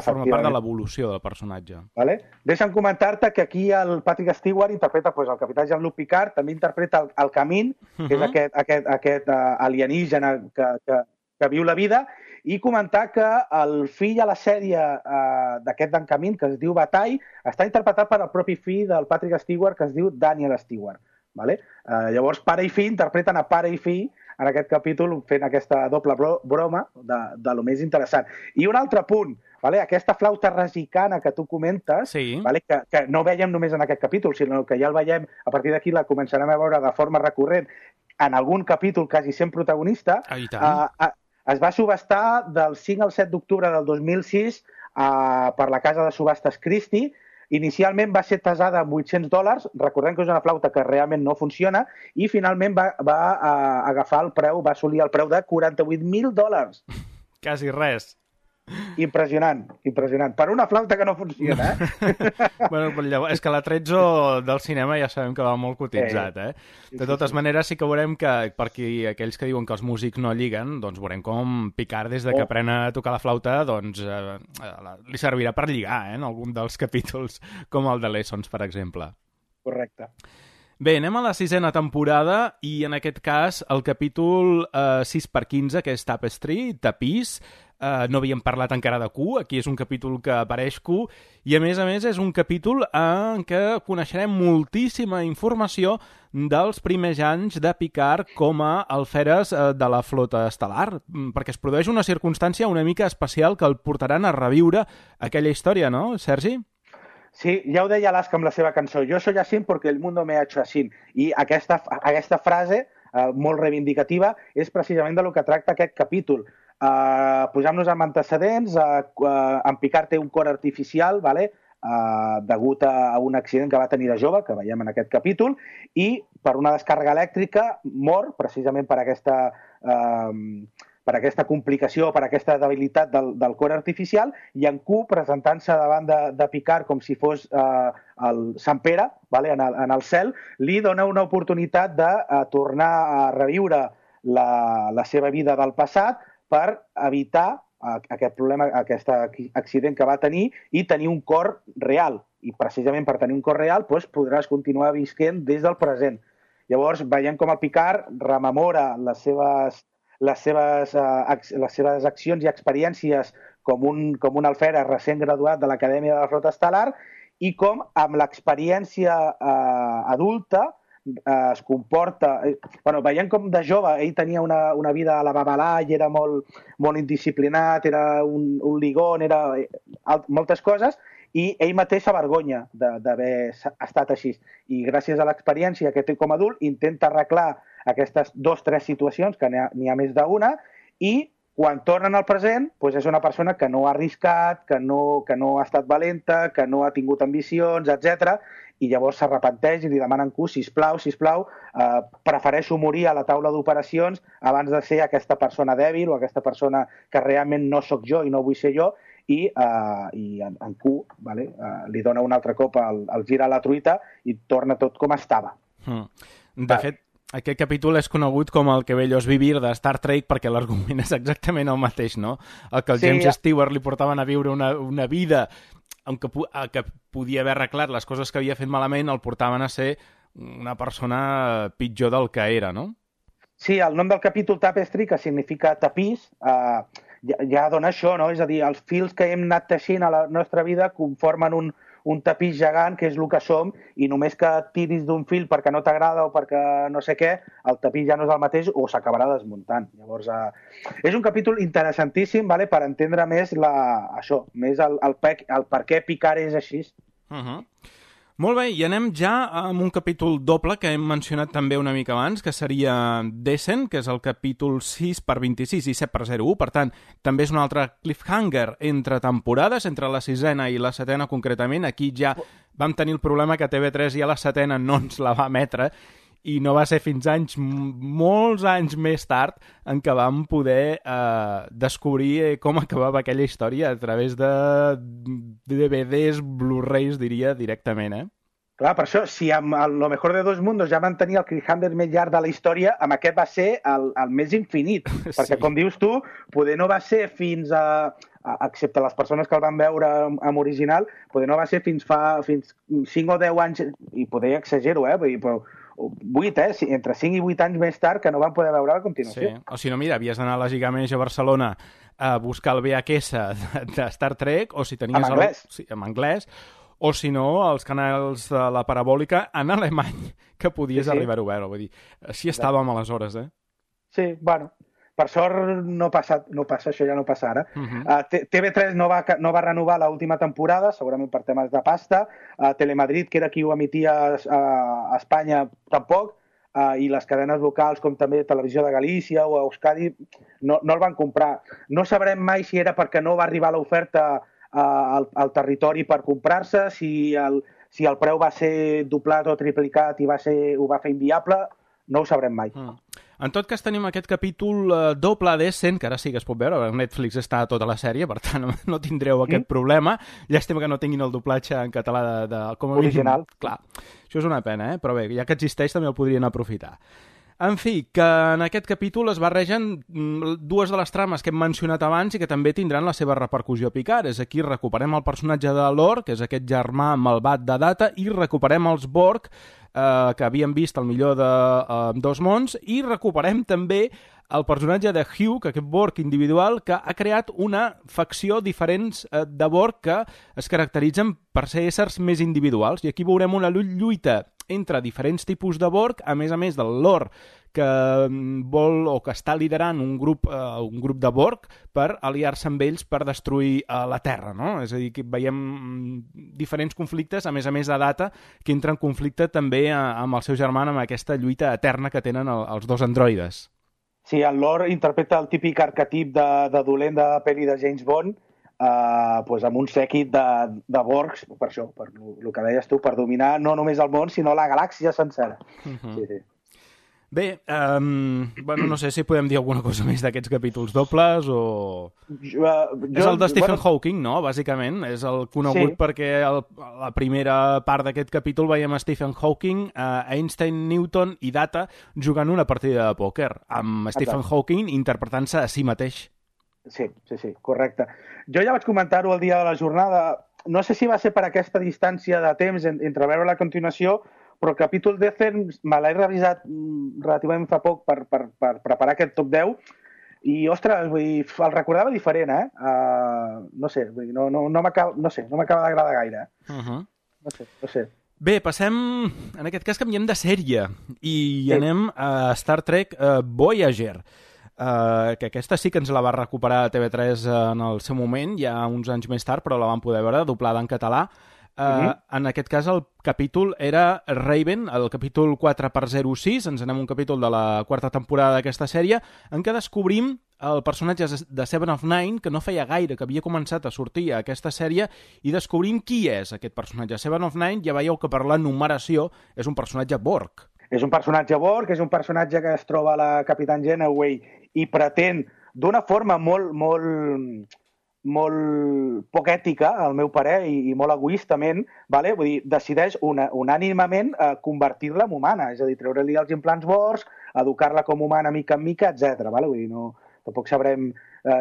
forma part de l'evolució del personatge. Deixa'm comentar-te que aquí el Patrick Stewart interpreta el capità Jean-Luc Picard, també interpreta el Camín, que és aquest alienígena que viu la vida, i comentar que el fill a la sèrie d'aquest d'en Camín, que es diu Bataille, està interpretat per el propi fill del Patrick Stewart, que es diu Daniel Stewart. Llavors, pare i fill interpreten a pare i fill en aquest capítol fent aquesta doble broma de lo més interessant. I un altre punt, aquesta flauta resicana que tu comentes, que no veiem només en aquest capítol, sinó que ja el veiem, a partir d'aquí la començarem a veure de forma recurrent en algun capítol quasi sent protagonista, Es va subestar del 5 al 7 d'octubre del 2006 per la casa de subhastes Christie. Inicialment va ser tasada amb $800, recordem que és una flauta que realment no funciona, i finalment va agafar el preu, va assolir el preu de $48.000. Quasi res. Impressionant, impressionant. Per una flauta que no funciona, Bueno, llavors, és que l'Atrezzo del cinema ja sabem que va molt cotitzat, De totes maneres, sí que veurem que, per aquells que diuen que els músics no lliguen, doncs veurem com Picard, des de que aprèn a tocar la flauta, doncs li servirà per lligar, en algun dels capítols, com el de Lessons, per exemple. Correcte. Bé, anem a la 6a temporada i en aquest cas el capítol 6/15, que és Tapestry, Tapís. No havíem parlat encara de Q, aquí és un capítol que apareix Q, i a més és un capítol en què coneixerem moltíssima informació dels primers anys de Picard com a alferes de la flota estel·lar, perquè es produeix una circumstància una mica especial que el portaran a reviure aquella història, no, Sergi? Sí, ja ho deia l'Aska amb la seva cançó, jo soy así porque el mundo me ha hecho así, i aquesta frase molt reivindicativa és precisament de lo que tracta aquest capítol. Posant-nos amb antecedents, en Picard té un cor artificial, degut a un accident que va tenir de jove, que veiem en aquest capítol, i per una descàrrega elèctrica mor, precisament per aquesta complicació, per aquesta debilitat del cor artificial, i en Q, presentant-se davant de Picard com si fos el Sant Pere, en el cel, li dona una oportunitat de tornar a reviure la seva vida del passat per evitar aquest problema, aquest accident que va tenir i tenir un cor real. I precisament per tenir un cor real podràs continuar visquent des del present. Llavors veiem com el Picard rememora les seves accions i experiències com un alferes recent graduat de l'Acadèmia de la Flota Estel·lar i com amb l'experiència adulta es comporta... veiem com de jove ell tenia una vida a la babalà i era molt indisciplinat, era un ligón, era moltes coses, i ell mateix s'avergonya d'haver estat així. I gràcies a l'experiència que té com a adult intenta arreglar aquestes 2 o 3 situacions, que n'hi ha més d'una, i quan tornen al present és una persona que no ha arriscat, que no ha estat valenta, que no ha tingut ambicions, etc. I llavors s'arrepenteix i li demanen Q, sisplau, prefereixo morir a la taula d'operacions abans de ser aquesta persona dèbil o aquesta persona que realment no sóc jo i no vull ser jo, i en Q li dona un altre cop el gira a la truita i torna tot com estava. De fet, aquest capítol és conegut com el que bello és vivir de Star Trek perquè l'argument és exactament el mateix, no? El que el James Stewart li portaven a viure una vida que podia haver arreglat les coses que havia fet malament, el portaven a ser una persona pitjor del que era, no? Sí, el nom del capítol Tapestry, que significa tapís, ja dona això, no? És a dir, els fils que hem anat teixint a la nostra vida conformen un tapís gegant, que és el que som, i només que tiris d'un fil perquè no t'agrada o perquè no sé què, el tapís ja no és el mateix o s'acabarà desmuntant. Llavors, és un capítol interessantíssim per entendre més el per què Picard és així. Molt bé, i anem ja amb un capítol doble que hem mencionat també una mica abans, que seria Descent, que és el capítol 6/26 i 7/01, per tant, també és un altre cliffhanger entre temporades, entre la 6a i la 7a concretament. Aquí ja vam tenir el problema que TV3 ja la 7a no ens la va emetre, i no va ser fins molts anys més tard en què vam poder descobrir com acabava aquella història a través de DVDs, Blu-rays, diria, directament, Clar, per això, si amb Lo mejor de dos mundos ja van tenir el cliffhanger més llarg de la història, amb aquest va ser el més infinit, perquè, com dius tu, poder no va ser fins excepte les persones que el van veure en original, poder no va ser fins 5 o 10 anys, i poder exagero, però 8, entre 5 i 8 anys més tard que no van poder veure a continuació. Sí, o si no, mira, havies d'anar a la Gigamesh a Barcelona a buscar el VHS de Star Trek, o si tenies... En anglès. Sí, en anglès, o si no, els canals de la parabòlica en alemany, que podies arribar-ho a veure. Vull dir, així estàvem aleshores, Sí, bueno, per sort no passa, això ja no passa ara. TV3 no va renovar l'última temporada, segurament per temes de pasta. Telemadrid, que era qui ho emetia a Espanya, tampoc. i les cadenes locals, com també Televisió de Galícia o Euskadi, no el van comprar. No sabrem mai si era perquè no va arribar l'oferta al territori per comprar-se, si el preu va ser doblat o triplicat i ho va fer inviable, no ho sabrem mai. En tot cas, tenim aquest capítol doble d'Essen, que ara sí que es pot veure, a Netflix està tota la sèrie, per tant no tindreu aquest problema. Llàstima que no tinguin el doblatge en català com a original. Clar, això és una pena, però bé, ja que existeix també el podrien aprofitar. En fi, que en aquest capítol es barregen dues de les trames que hem mencionat abans i que també tindran la seva repercussió a Picard. És aquí recuperem el personatge de Lor, que és aquest germà malvat de Data, i recuperem els Borg, que havíem vist el millor de Dos Mons, i recuperem també el personatge de Hugh, que aquest Borg individual, que ha creat una facció diferents de Borg que es caracteritzen per ser éssers més individuals. I aquí veurem una lluita entre diferents tipus de Borg, a més del Lor, que vol o que està liderant un grup de Borg per aliar-se amb ells per destruir la Terra, no? És a dir, que veiem diferents conflictes, a més de Data, que entra en conflicte també amb el seu germà, amb aquesta lluita eterna que tenen els dos androides. Sí, el Lor interpreta el típic arquetip de dolent de pel·li de James Bond, amb un sèquit de Borgs, per això, per el que deies tu, per dominar no només el món, sinó la galàxia sencera. Sí. Bé, no sé si podem dir alguna cosa més d'aquests capítols dobles o... És el de Stephen Hawking, no?, bàsicament. És el conegut perquè la primera part d'aquest capítol veiem a Stephen Hawking, Einstein, Newton i Data jugant una partida de pòquer, amb Stephen Hawking interpretant-se a si mateix. Sí, correcte. Jo ja vaig comentar-ho el dia de la jornada. No sé si va ser per aquesta distància de temps entre veure la continuació, però el capítol d'Essen me l'he revisat relativament fa poc per preparar aquest top 10 i, ostres, el recordava diferent, no sé, no m'acaba d'agradar gaire. No sé. Bé, passem, en aquest cas canviem de sèrie i anem a Star Trek Voyager, que aquesta sí que ens la va recuperar a TV3 en el seu moment, ja uns anys més tard, però la vam poder veure doblada en català. En aquest cas el capítol era Raven, el capítol 4x06, ens anem a un capítol de la quarta temporada d'aquesta sèrie, en què descobrim el personatge de Seven of Nine, que no feia gaire que havia començat a sortir a aquesta sèrie, i descobrim qui és aquest personatge. Seven of Nine, ja veieu que per la numeració és un personatge Borg. És un personatge Borg, és un personatge que es troba a la Capitán Janeway i pretén d'una forma molt poc ètica, al meu parer, i molt egoistament, vull dir, decideix unànimement convertir-la en humana, és a dir, treure-li els implants Borg, educar-la com humana mica en mica, etc. Vull dir, tampoc sabrem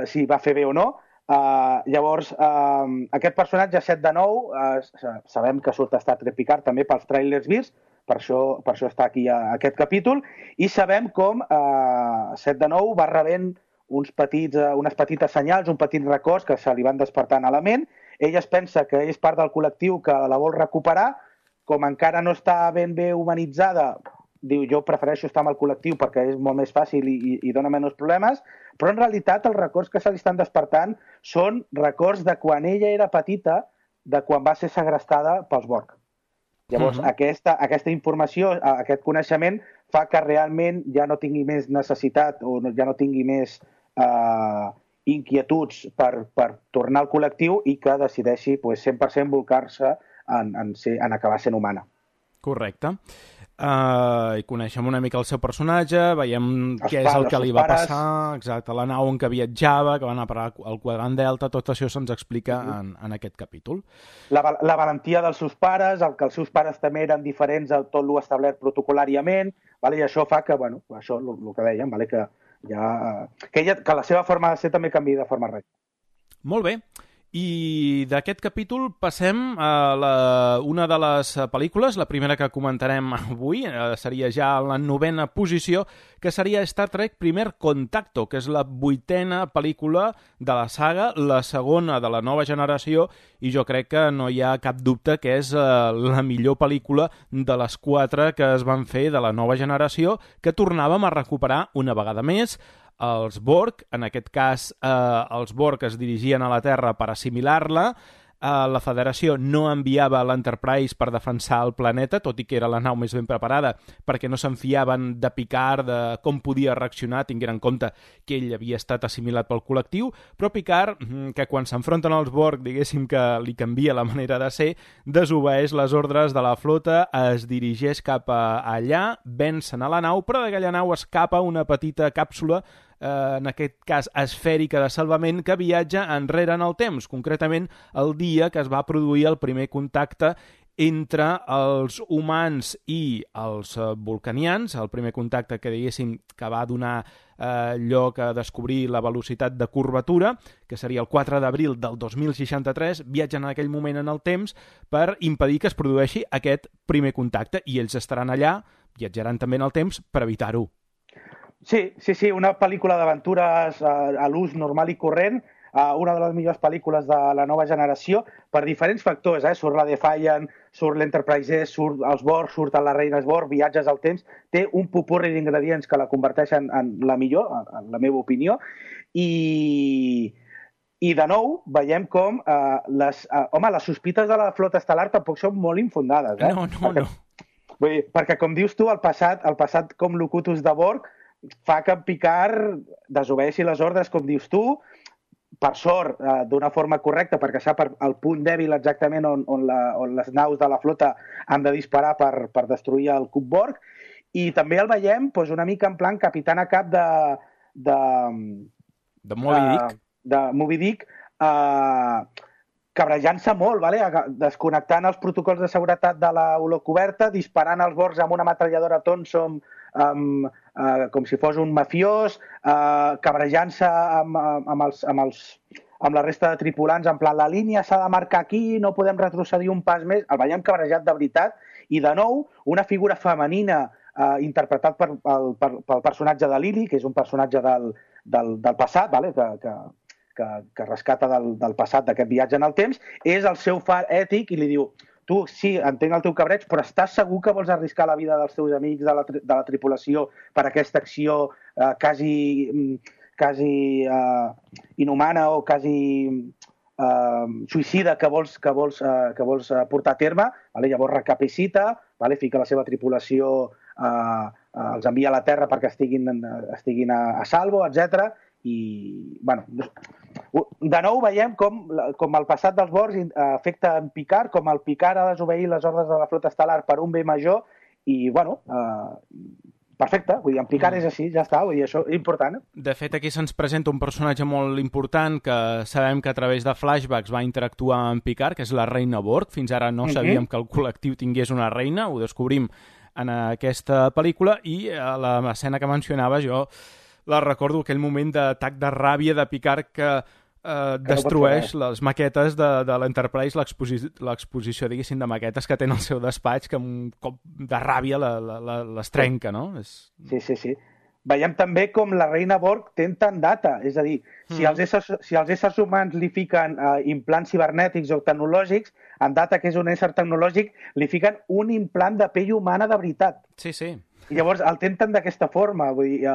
si va fer bé o no. Llavors, aquest personatge 7 de 9, sabem que surt a Star Trek Picard també pels trailers vists, per això està aquí aquest capítol, i sabem com 7 de 9 va rebent unes petites senyals, un petit records que se li van despertant a la ment. Ella es pensa que és part del col·lectiu que la vol recuperar, com encara no està ben bé humanitzada, diu, jo prefereixo estar amb el col·lectiu perquè és molt més fàcil i dona menys problemes, però en realitat els records que se li estan despertant són records de quan ella era petita, de quan va ser segrestada pels Borg. Llavors, aquesta informació, aquest coneixement, fa que realment ja no tingui més necessitat o ja no tingui més inquietuds per tornar al col·lectiu i que decideixi 100% volcar-se en acabar sent humana. Correcte. I coneixem una mica el seu personatge, veiem què és el que li va passar, exacte, la nau en què viatjava, que va anar a parar al quadrant Delta, tot això se'ns explica en aquest capítol. La valentia dels seus pares, el que els seus pares també eren diferents a tot lo establert protocolàriament, i això fa que, això el que dèiem, que la seva forma de ser també canviï de forma real. Molt bé. I d'aquest capítol passem a una de les pel·lícules, la primera que comentarem avui, seria ja en la 9ª posició, que seria Star Trek Primer Contacto, que és la 8ª pel·lícula de la saga, la segona de la nova generació, i jo crec que no hi ha cap dubte que és la millor pel·lícula de les 4 que es van fer de la nova generació, que tornàvem a recuperar una vegada més. Els Borg, en aquest cas els Borg es dirigien a la Terra per assimilar-la, la Federació no enviava l'Enterprise per defensar el planeta, tot i que era la nau més ben preparada, perquè no se'n fiaven de Picard, de com podia reaccionar, tinguent en compte que ell havia estat assimilat pel col·lectiu, però Picard, que quan s'enfronten als Borg, diguéssim que li canvia la manera de ser, desobeeix les ordres de la flota, es dirigeix cap a allà, vencen a la nau, però d'aquella nau escapa una petita càpsula, en aquest cas esfèrica de salvament, que viatja enrere en el temps, concretament el dia que es va produir el primer contacte entre els humans i els vulcanians, el primer contacte que diguéssim que va donar lloc a descobrir la velocitat de curvatura, que seria el 4 d'abril del 2063, viatgen en aquell moment en el temps per impedir que es produeixi aquest primer contacte, i ells estaran allà, viatjaran també en el temps per evitar-ho. Sí, una pel·lícula d'aventures a l'ús normal i corrent, una de les millors pel·lícules de la nova generació, per diferents factors, surt la Defiant, surt l'Enterprise, surt els Borg, surt la Reina Borg, viatges al temps, té un popurri d'ingredients que la converteixen en la millor, en la meva opinió, i de nou veiem com les sospites de la flota estel·lar tampoc són molt infundades. No. Vull dir, perquè, com dius tu, el passat com Locutus de Borg fa que en Picard desobeeixi les ordres, com dius tu, per sort, d'una forma correcta, perquè sap el punt dèbil exactament on les naus de la flota han de disparar per destruir el cub Borg, i també el veiem una mica en plan capitana cap de Moby Dick. De Moby Dick, cabrejant-se molt, desconnectant els protocols de seguretat de la holocoberta, disparant els Borgs amb una metralladora Thompson com si fos un mafiós, cabrejant-se amb la resta de tripulants, en plan, la línia s'ha de marcar aquí, no podem retrocedir un pas més. El veiem cabrejat de veritat, i de nou, una figura femenina interpretat pel personatge de Lily, que és un personatge del passat, que rescata del passat d'aquest viatge en el temps, és el seu far ètic i li diu: tu, sí, entenc el teu cabreig, però estàs segur que vols arriscar la vida dels teus amics, de la tripulació, per aquesta acció quasi inhumana o quasi suïcida que vols portar a terme? Llavors recapacita, fica la seva tripulació, els envia a la Terra perquè estiguin a salvo, etc. I, de nou veiem com el passat dels Borgs afecta en Picard, com el Picard ha desobeir les ordres de la flota estel·lar per un bé major, i, perfecte, vull dir, en Picard és així, ja està, vull dir, això és important. De fet, aquí se'ns presenta un personatge molt important que sabem que a través de flashbacks va interactuar amb Picard, que és la Reina Borg. Fins ara no sabíem que el col·lectiu tingués una reina, ho descobrim en aquesta pel·lícula, i a l'escena que mencionava jo la recordo, aquell moment d'atac de ràbia de Picard que destrueix les maquetes de l'Enterprise, l'exposició, diguéssim, de maquetes que té en el seu despatx, que amb un cop de ràbia les trenca, no? Sí. Veiem també com la Reina Borg té tant data, és a dir, si els éssers humans li fiquen implants cibernètics o tecnològics, en data que és un ésser tecnològic, li fiquen un implant de pell humana de veritat. Sí. I llavors el tenten d'aquesta forma, vull dir,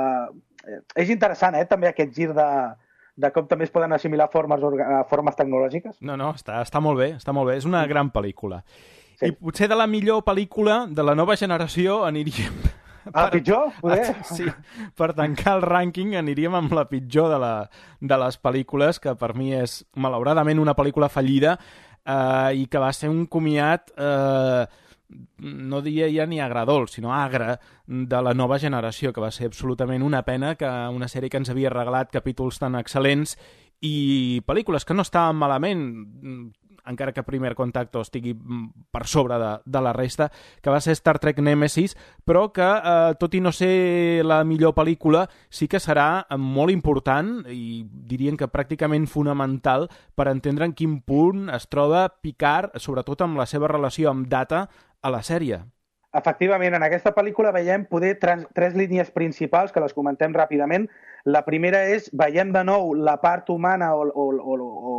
és interessant, també aquest gir de com també es poden assimilar formes tecnològiques. No, està molt bé, és una gran pel·lícula. Sí. I potser de la millor pel·lícula de la nova generació aniríem... La pitjor? Sí, per tancar el rànquing aniríem amb la pitjor de les pel·lícules, que per mi és, malauradament, una pel·lícula fallida i que va ser un comiat... no diria ja ni agradol, sinó agre, de la nova generació, que va ser absolutament una pena, que una sèrie que ens havia regalat capítols tan excel·lents i pel·lícules que no estaven malament, encara que Primer Contacto estigui per sobre de la resta, que va ser Star Trek Nemesis, però que, tot i no ser la millor pel·lícula, sí que serà molt important i dirien que pràcticament fonamental per entendre en quin punt es troba Picard, sobretot amb la seva relació amb Data, a la sèrie. Efectivament, en aquesta pel·lícula veiem poder tres línies principals, que les comentem ràpidament. La primera és, veiem de nou la part humana o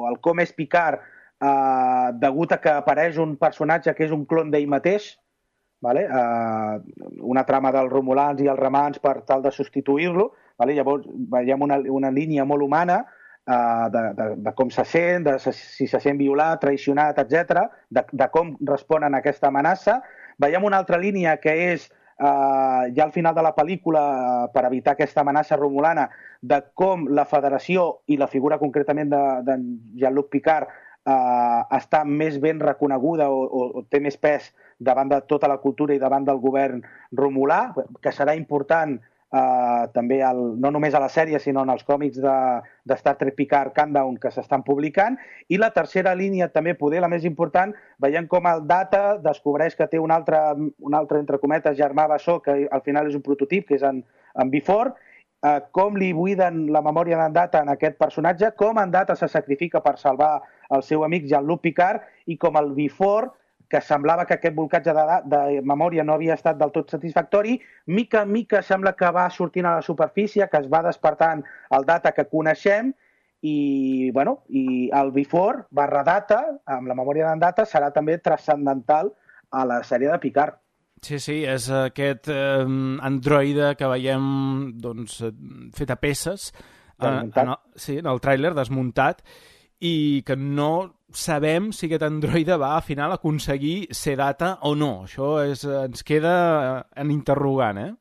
el com és Picard, degut a que apareix un personatge que és un clon d'ell mateix, una trama dels romulans i els remans per tal de substituir-lo. Llavors veiem una línia molt humana de com se sent, si se sent violat, traicionat, etc., de com responen a aquesta amenaça. Veiem una altra línia que és, ja al final de la pel·lícula, per evitar aquesta amenaça romulana, de com la Federació i la figura concretament de Jean-Luc Picard està més ben reconeguda o té més pes davant de tota la cultura i davant del govern romulà, que serà important també no només a la sèrie sinó en els còmics de Star Trek Picard Countdown que s'estan publicant. I la tercera línia, també poder la més important, veiem com el Data descobreix que té un altre entre cometes germà bessó, que al final és un prototip, que és en V4, com li buiden la memòria d'en Data en aquest personatge, com en Data se sacrifica per salvar el seu amic Jean-Luc Picard, i com el V4, que semblava que aquest bolcatge de memòria no havia estat del tot satisfactori, mica en mica sembla que va sortint a la superfície, que es va despertant el Data que coneixem, i el V4 /Data, amb la memòria d'en Data, serà també transcendental a la sèrie de Picard. Sí, és aquest androide que veiem fet a peces en el tràiler, desmuntat, i que no sabem si aquest androide va al final aconseguir ser Data o no. Això ens queda en interrogant, eh?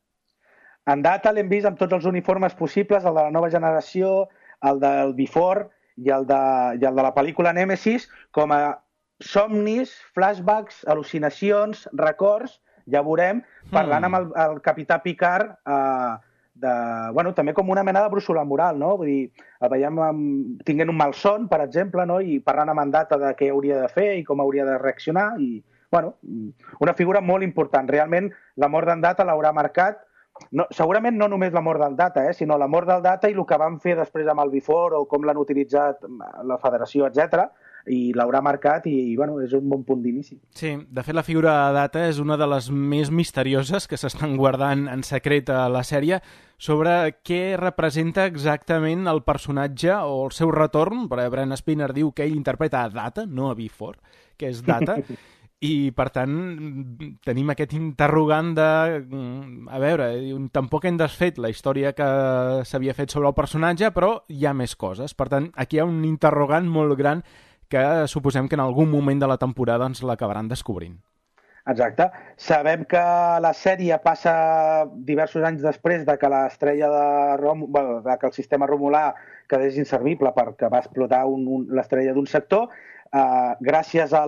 En Data l'hem vist amb tots els uniformes possibles, el de la nova generació, el del V4 i el de la pel·lícula Nèmesis, com a somnis, flashbacks, al·lucinacions, records, ja veurem, parlant amb el capità Picard també com una mena de brúixola moral, no? Vull dir, el veiem tinguent un malson, per exemple, no? I parlant amb en Data de què hauria de fer i com hauria de reaccionar, i una figura molt important. Realment, la mort d'en Data l'haurà marcat, segurament no només la mort del Data, sinó la mort del Data i el que van fer després amb el V4 o com l'han utilitzat la Federació, etc., i l'haurà marcat i és un bon punt d'inici. Sí, de fet la figura de Data és una de les més misterioses que s'estan guardant en secret a la sèrie sobre què representa exactament el personatge o el seu retorn, perquè Brent Spiner diu que ell interpreta a Data, no a V4, que és Data, i per tant tenim aquest interrogant de a veure, tampoc hem desfet la història que s'havia fet sobre el personatge, però hi ha més coses. Per tant, aquí hi ha un interrogant molt gran que suposem que en algun moment de la temporada ens l'acabaran descobrint. Exacte. Sabem que la sèrie passa diversos anys després de que l'estrella de que el sistema romulà quedés inservible perquè va explotar l'estrella d'un sector. Gràcies a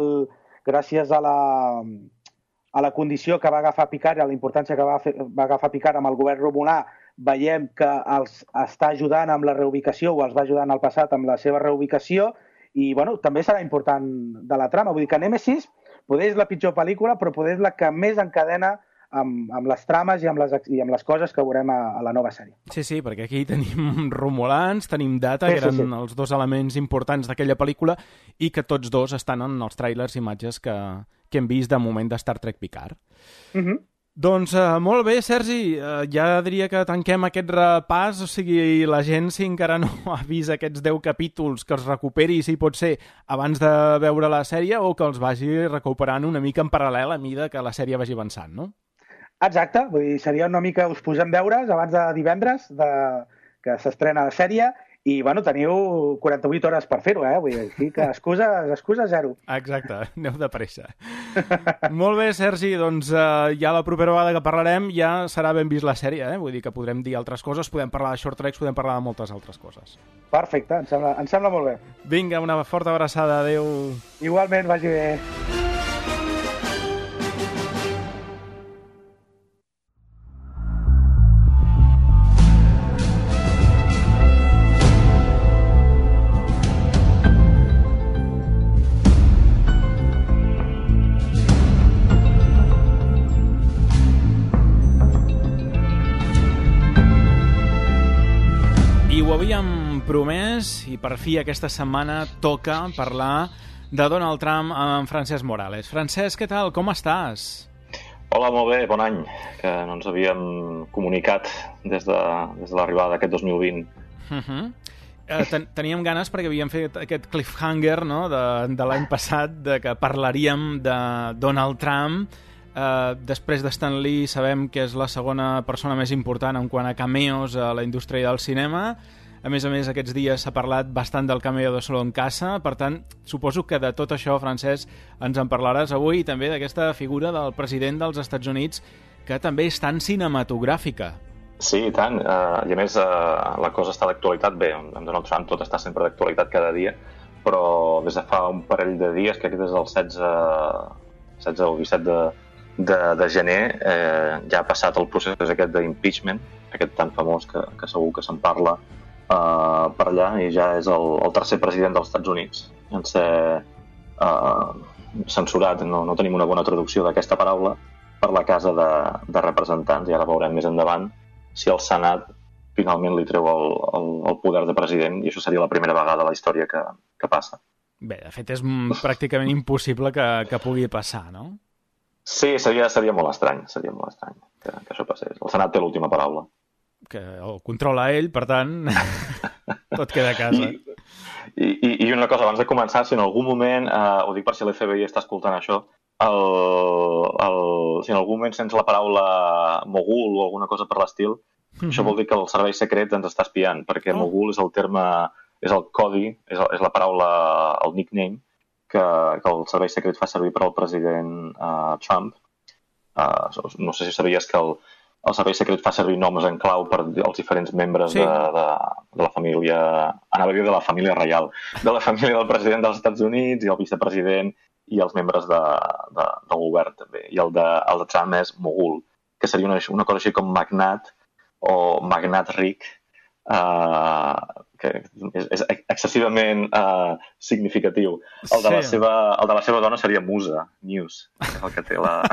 la condició que va agafar Picard i a la importància que va agafar Picard amb el govern romulà, veiem que els està ajudant amb la reubicació o els va ajudar en el passat amb la seva reubicació, i també serà important de la trama. Vull dir que Nèmesis poder és la pitjor pel·lícula, però poder és la que més encadena amb les trames i amb les coses que veurem a la nova sèrie. Sí, perquè aquí tenim Romulans, tenim Data, que eren els dos elements importants d'aquella pel·lícula, i que tots dos estan en els tràilers i imatges que hem vist de moment de Star Trek Picard. Doncs molt bé, Sergi, ja diria que tanquem aquest repàs, o sigui, la gent, si encara no ha vist aquests 10 capítols, que els recuperi, si pot ser, abans de veure la sèrie, o que els vagi recuperant una mica en paral·lel a mida que la sèrie vagi avançant, no? Exacte, vull dir, seria una mica, us posem deures abans de divendres que s'estrena la sèrie, i, teniu 48 hores per fer-ho, Vull dir que excusa zero. Exacte, aneu de pressa. Molt bé, Sergi, doncs ja la propera vegada que parlarem ja serà ben vist la sèrie, Vull dir que podrem dir altres coses, podem parlar de short tracks, podem parlar de moltes altres coses. Perfecte, em sembla molt bé. Vinga, una forta abraçada, adeu. Igualment, vagi bé. Promès, i per fi aquesta setmana toca parlar de Donald Trump amb Francesc Morales. Francesc, què tal? Com estàs? Hola, molt bé, bon any, que no ens havíem comunicat des de l'arribada d'aquest 2020. Teníem ganes perquè havíem fet aquest cliffhanger, no?, de l'any passat, de que parlaríem de Donald Trump. Després de Stan Lee sabem que és la segona persona més important en quant a cameos a la indústria del cinema. A més, aquests dies s'ha parlat bastant del cameo de Solo en Casa, per tant, suposo que de tot això, Francesc, ens en parlaràs avui i també d'aquesta figura del president dels Estats Units, que també és tan cinematogràfica. Sí, i tant. I a més, la cosa està d'actualitat. Bé, amb Donald Trump tot està sempre d'actualitat cada dia, però des de fa un parell de dies, crec que des del 16 o 17 de gener, ja ha passat el procés aquest d'impeachment, aquest tan famós que segur que se'n parla per allà, i ja és el tercer president dels Estats Units en ser censurat. No tenim una bona traducció d'aquesta paraula per la Casa de Representants, i ara veurem més endavant si el Senat finalment li treu el poder de president, i això seria la primera vegada a la història que passa. Bé, de fet és pràcticament impossible que pugui passar, no? Sí, seria molt estrany que això passés. El Senat té l'última paraula. Que el controla ell, per tant, tot queda a casa. I una cosa, abans de començar, si en algun moment, ho dic per si l'FBI està escoltant això, si en algun moment sents la paraula mogul o alguna cosa per l'estil, això vol dir que el servei secret ens està espiant, perquè mogul és el terme, és el codi, és la paraula, el nickname, que el servei secret fa servir per al president Trump. No sé si sabies que el servei secret fa servir noms en clau per als diferents membres de la família, anava a dir de la família reial, de la família del president dels Estats Units i el vicepresident i els membres del govern també. I el de Trump és mogul, que seria una cosa així com magnat o magnat ric, que és excessivament significatiu. El de la seva dona seria musa, news, és el que té la...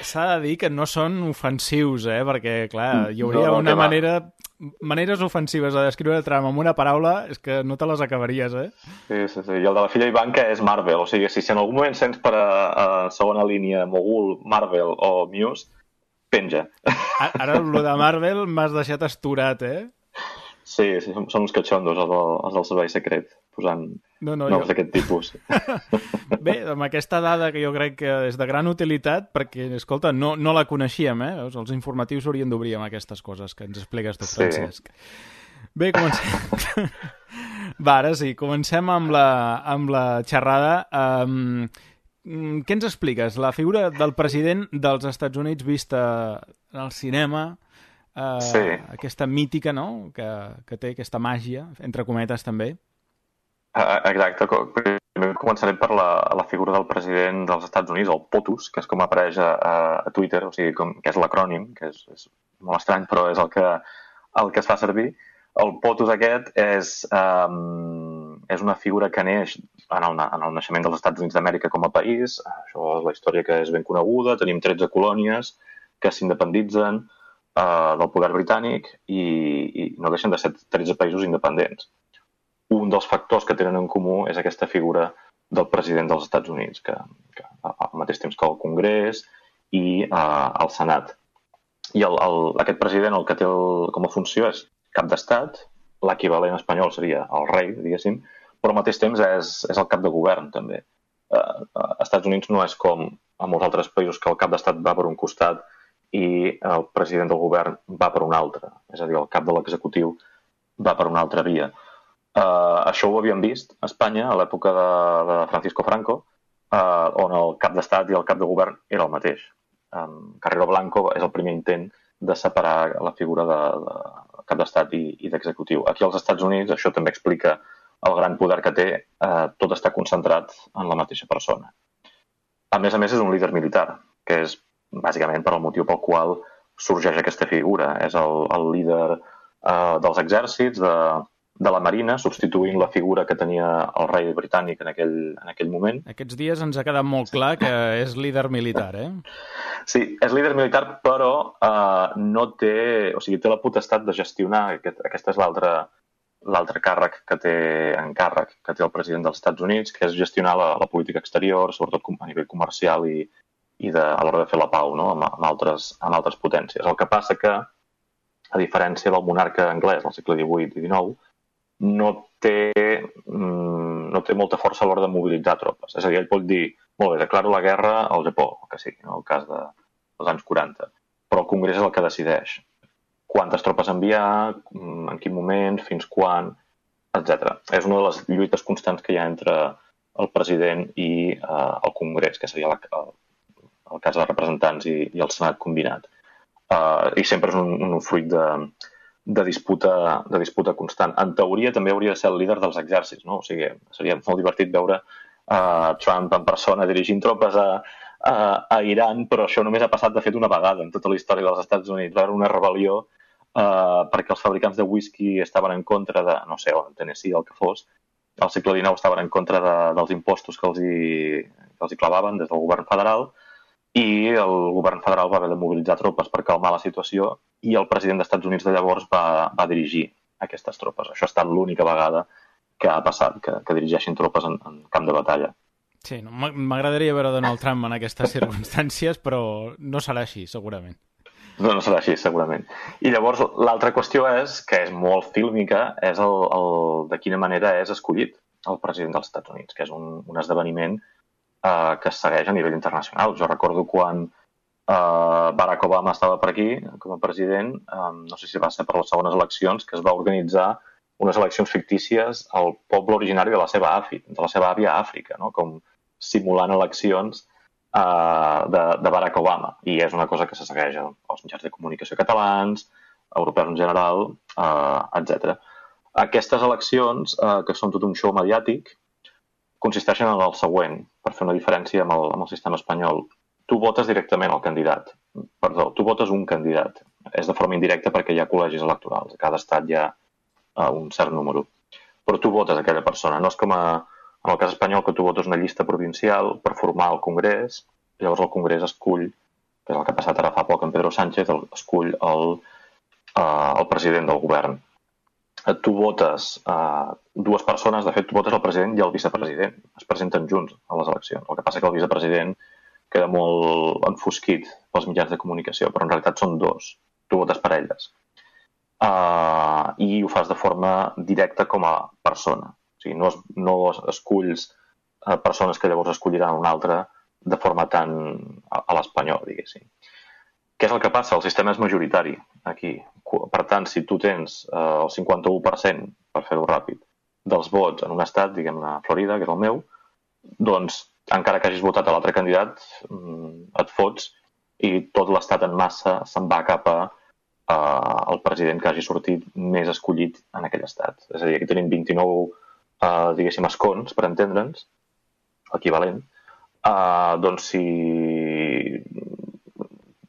S'ha de dir que no són ofensius, perquè, clar, hi hauria una maneres ofensives de descriure Trump amb una paraula, és que no te les acabaries, Sí. I el de la filla Ivanka és Marvel, o sigui, si en algun moment sents per a segona línia mogul, Marvel o Muse, penja. Ara, el de Marvel m'has deixat asturat, Sí, són uns catxondos, els del servei secret, posant noms d'aquest tipus. Bé, amb aquesta dada que jo crec que és de gran utilitat, perquè, escolta, no la coneixíem, Els informatius s'haurien d'obrir amb aquestes coses que ens expliques tu, Francesc. Bé, comencem. Va, ara sí, comencem amb la xerrada. Què ens expliques? La figura del president dels Estats Units vista en el cinema, aquesta mítica, no?, que té aquesta màgia, entre cometes també. Exacte. Primer començarem per la figura del president dels Estats Units, el POTUS, que és com apareix a Twitter, o sigui, que és l'acrònim, que és molt estrany, però és el que es fa servir. El POTUS aquest és una figura que neix en el naixement dels Estats Units d'Amèrica com a país. Això és la història que és ben coneguda. Tenim 13 colònies que s'independitzen del poder britànic i no deixen de ser 13 països independents. Un dels factors que tenen en comú és aquesta figura del president dels Estats Units, que al mateix temps que el Congrés i el Senat. I aquest president el que té com a funció és cap d'estat, l'equivalent espanyol seria el rei, diguéssim, però al mateix temps és el cap de govern, també. Als Estats Units no és com a molts altres països que el cap d'estat va per un costat i el president del govern va per un altre. És a dir, el cap de l'executiu va per una altra via. Això ho havíem vist a Espanya a l'època de Francisco Franco, on el cap d'estat i el cap de govern era el mateix. Carrero Blanco és el primer intent de separar la figura de cap d'estat i d'executiu. Aquí als Estats Units això també explica el gran poder que té, tot està concentrat en la mateixa persona. A més, és un líder militar, que és bàsicament per al motiu pel qual sorgeix aquesta figura. És el líder dels exèrcits, de la Marina, substituint la figura que tenia el rei britànic en aquell moment. Aquests dies ens ha quedat molt clar que és líder militar, Sí, és líder militar, però no té... O sigui, té la potestat de gestionar, aquesta és l'altre càrrec que té el president dels Estats Units, que és gestionar la política exterior, sobretot a nivell comercial i a l'hora de fer la pau, no?, amb altres potències. El que passa que, a diferència del monarca anglès del segle XVIII i XIX, no té molta força a l'hora de mobilitzar tropes. És a dir, ell pot dir, molt bé, declaro la guerra al Japó, que sigui, en el cas dels anys 40, però el Congrés és el que decideix quantes tropes enviar, en en quin moment, fins quan, etc. És una de les lluites constants que hi ha entre el president i el Congrés, que seria el cas de representants i el Senat combinat. I sempre és un fruit de disputa constant. En teoria també hauria de ser el líder dels exèrcits, no? O sigui, seria molt divertit veure Trump en persona dirigint tropes a Iran, però això només ha passat de fet una vegada en tota la història dels Estats Units. Va haver una rebel·lió perquè els fabricants de whisky estaven en contra de, no sé, on Tennessee, el que fos, al segle XIX estaven en contra dels impostos que els hi clavaven des del govern federal, i el govern federal va haver de mobilitzar tropes per calmar la situació i el president dels Estats Units de llavors va dirigir aquestes tropes. Això ha estat l'única vegada que ha passat, que dirigeixin tropes en camp de batalla. Sí, no, m'agradaria veure Donald Trump en aquestes circumstàncies, però no serà així, segurament. No serà així, segurament. I llavors l'altra qüestió és, que és molt fílmica, és de quina manera és escollit el president dels Estats Units, que és un esdeveniment que es segueix a nivell internacional. Jo recordo quan Barack Obama estava per aquí com a president, no sé si va ser per les segones eleccions, que es va organitzar unes eleccions fictícies al poble originari de la seva àvia a Àfrica, no? Com simulant eleccions de Barack Obama. I és una cosa que se segueix als mitjans de comunicació catalans, europeus en general, etc. Aquestes eleccions, que són tot un show mediàtic, consisteixen en el següent, per fer una diferència amb el sistema espanyol. Tu votes directament al candidat. Perdó, tu votes un candidat. És de forma indirecta perquè hi ha col·legis electorals. A cada estat hi ha un cert número. Però tu votes aquella persona. No és com en el cas espanyol, que tu votes una llista provincial per formar el Congrés, i llavors el Congrés escull, que és el que ha passat ara fa poc amb Pedro Sánchez, escull el president del govern. Tu votes dues persones, de fet tu votes el president i el vicepresident, es presenten junts a les eleccions. El que passa que el vicepresident queda molt enfosquit pels mitjans de comunicació, però en realitat són dos, tu votes per elles. I ho fas de forma directa com a persona. O sigui, no esculls persones que llavors escolliran una altra de forma tan a l'espanyol, diguéssim. Què és el que passa? El sistema és majoritari aquí. Per tant, si tu tens el 51%, per fer-ho ràpid, dels vots en un estat, diguem-ne Florida, que és el meu, doncs, encara que hagis votat a l'altre candidat, et fots i tot l'estat en massa se'n va cap al president que hagi sortit més escollit en aquell estat. És a dir, aquí tenim 29, diguéssim, escons, per entendre'ns, equivalent. Doncs si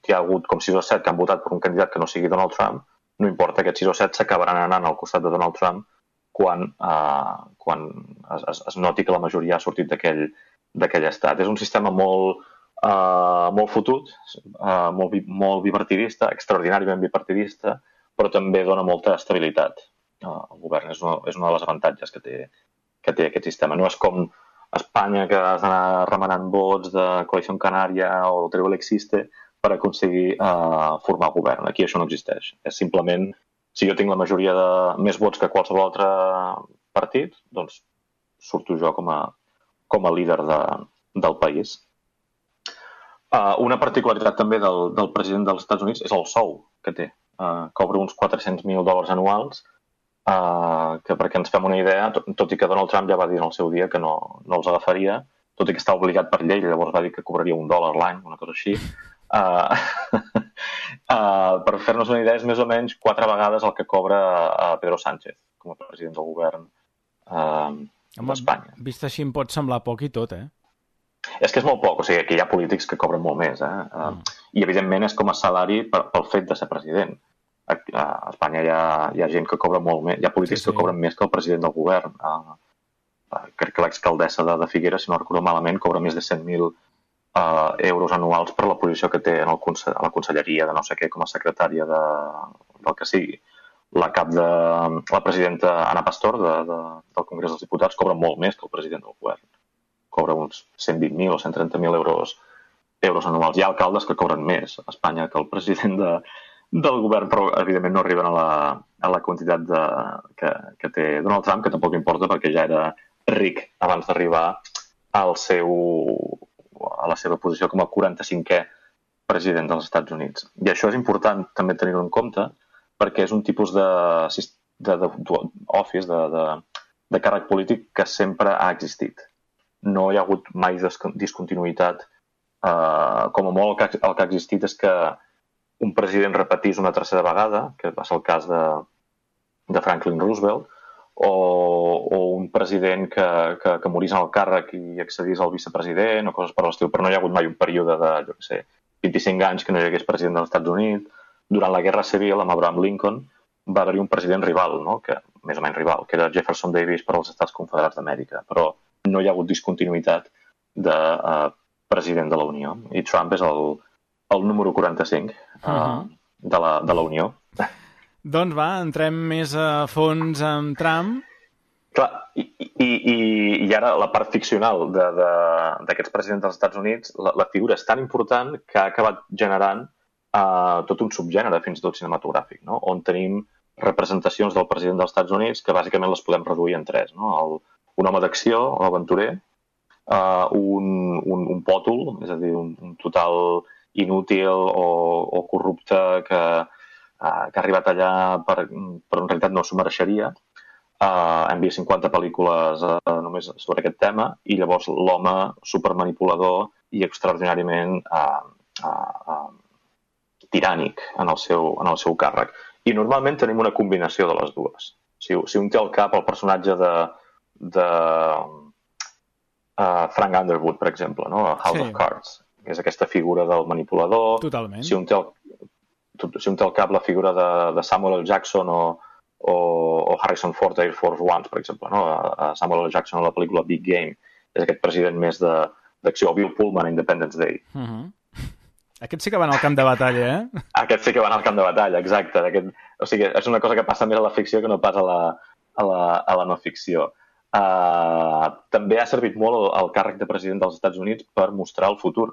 hi ha hagut com 6 o 7 que han votat per un candidat que no sigui Donald Trump, no importa, aquests 6 o 7 s'acabaran anant al costat de Donald Trump quan es noti que la majoria ha sortit d'aquell estat. És un sistema molt fotut, molt bipartidista, extraordinàriament bipartidista, però també dona molta estabilitat al govern. És una de les avantatges que té aquest sistema. No és com Espanya, que has d'anar remenant vots de Coalició Canària o Teruel Existe per aconseguir formar govern. Aquí això no existeix. És simplement, si jo tinc la majoria de més vots que qualsevol altre partit, doncs surto jo com a líder del país. Una particularitat també del president dels Estats Units és el sou que té. Cobra uns $400,000 anuals, que perquè ens fem una idea, tot i que Donald Trump ja va dir en el seu dia que no els agafaria, tot i que està obligat per llei, llavors va dir que cobraria $1 l'any, una cosa així. Per fer-nos una idea, és més o menys 4 vegades el que cobra Pedro Sánchez com a president del govern d'Espanya. Vist així em pot semblar poc i tot, És que és molt poc, o sigui, que hi ha polítics que cobren molt més, i evidentment és com a salari pel fet de ser president. A Espanya hi ha gent que cobra molt més, hi ha polítics que cobren més que el president del govern. Crec que l'exalcaldessa de Figueres, si no recordo malament, cobra més de 100.000 euros anuals per la posició que té a la conselleria de no sé què, com a secretària del que sigui. La presidenta Ana Pastor del Congrés dels Diputats cobra molt més que el president del govern. Cobra uns 120.000 o 130.000 euros anuals. Hi ha alcaldes que cobren més a Espanya que el president del govern, però evidentment no arriben a la quantitat que té Donald Trump, que tampoc importa perquè ja era ric abans d'arribar a la seva posició com a 45è president dels Estats Units. I això és important també tenir-ho en compte perquè és un tipus d'office, de càrrec polític que sempre ha existit. No hi ha hagut mai discontinuïtat. Com a molt el que ha existit és que un president repetís una tercera vegada, que va ser el cas de Franklin Roosevelt, o un president que morís en el càrrec i accedís al vicepresident o coses per l'estil, però no hi ha hagut mai un període de, 25 anys que no hi hagués president dels Estats Units. Durant la Guerra Civil, amb Abraham Lincoln, va haver-hi un president rival, no? Que, més o menys rival, que era Jefferson Davis per als Estats Confederats d'Amèrica, però no hi ha hagut discontinuïtat de president de la Unió. I Trump és el número 45 de la Unió. Doncs va, entrem més a fons amb Trump. Clar, i ara la part ficcional d'aquests presidents dels Estats Units, la figura és tan important que ha acabat generant tot un subgènere, fins i tot cinematogràfic, no? On tenim representacions del president dels Estats Units que bàsicament les podem reduir en tres. No? Un home d'acció, un aventurer, un pòtol, és a dir, un total inútil o corrupte que ha arribat allà però en realitat no s'ho mereixeria. Hem vist 50 pel·lícules només sobre aquest tema, i llavors l'home supermanipulador i extraordinàriament tirànic en el seu càrrec. I normalment tenim una combinació de les dues. Si un té al cap el personatge de Frank Underwood, per exemple, no? A House of Cards, que és aquesta figura del manipulador. Totalment. Si un té al cap la figura de Samuel L. Jackson o Harrison Ford a Air Force One, per exemple, no? A Samuel L. Jackson a la pel·lícula Big Game, és aquest president més d'acció, o Bill Pullman a Independence Day. Aquest sí que van al camp de batalla, eh? Aquest sí que van al camp de batalla, exacte. O sigui, és una cosa que passa més a la ficció que no pas a la no ficció. També ha servit molt el càrrec de president dels Estats Units per mostrar el futur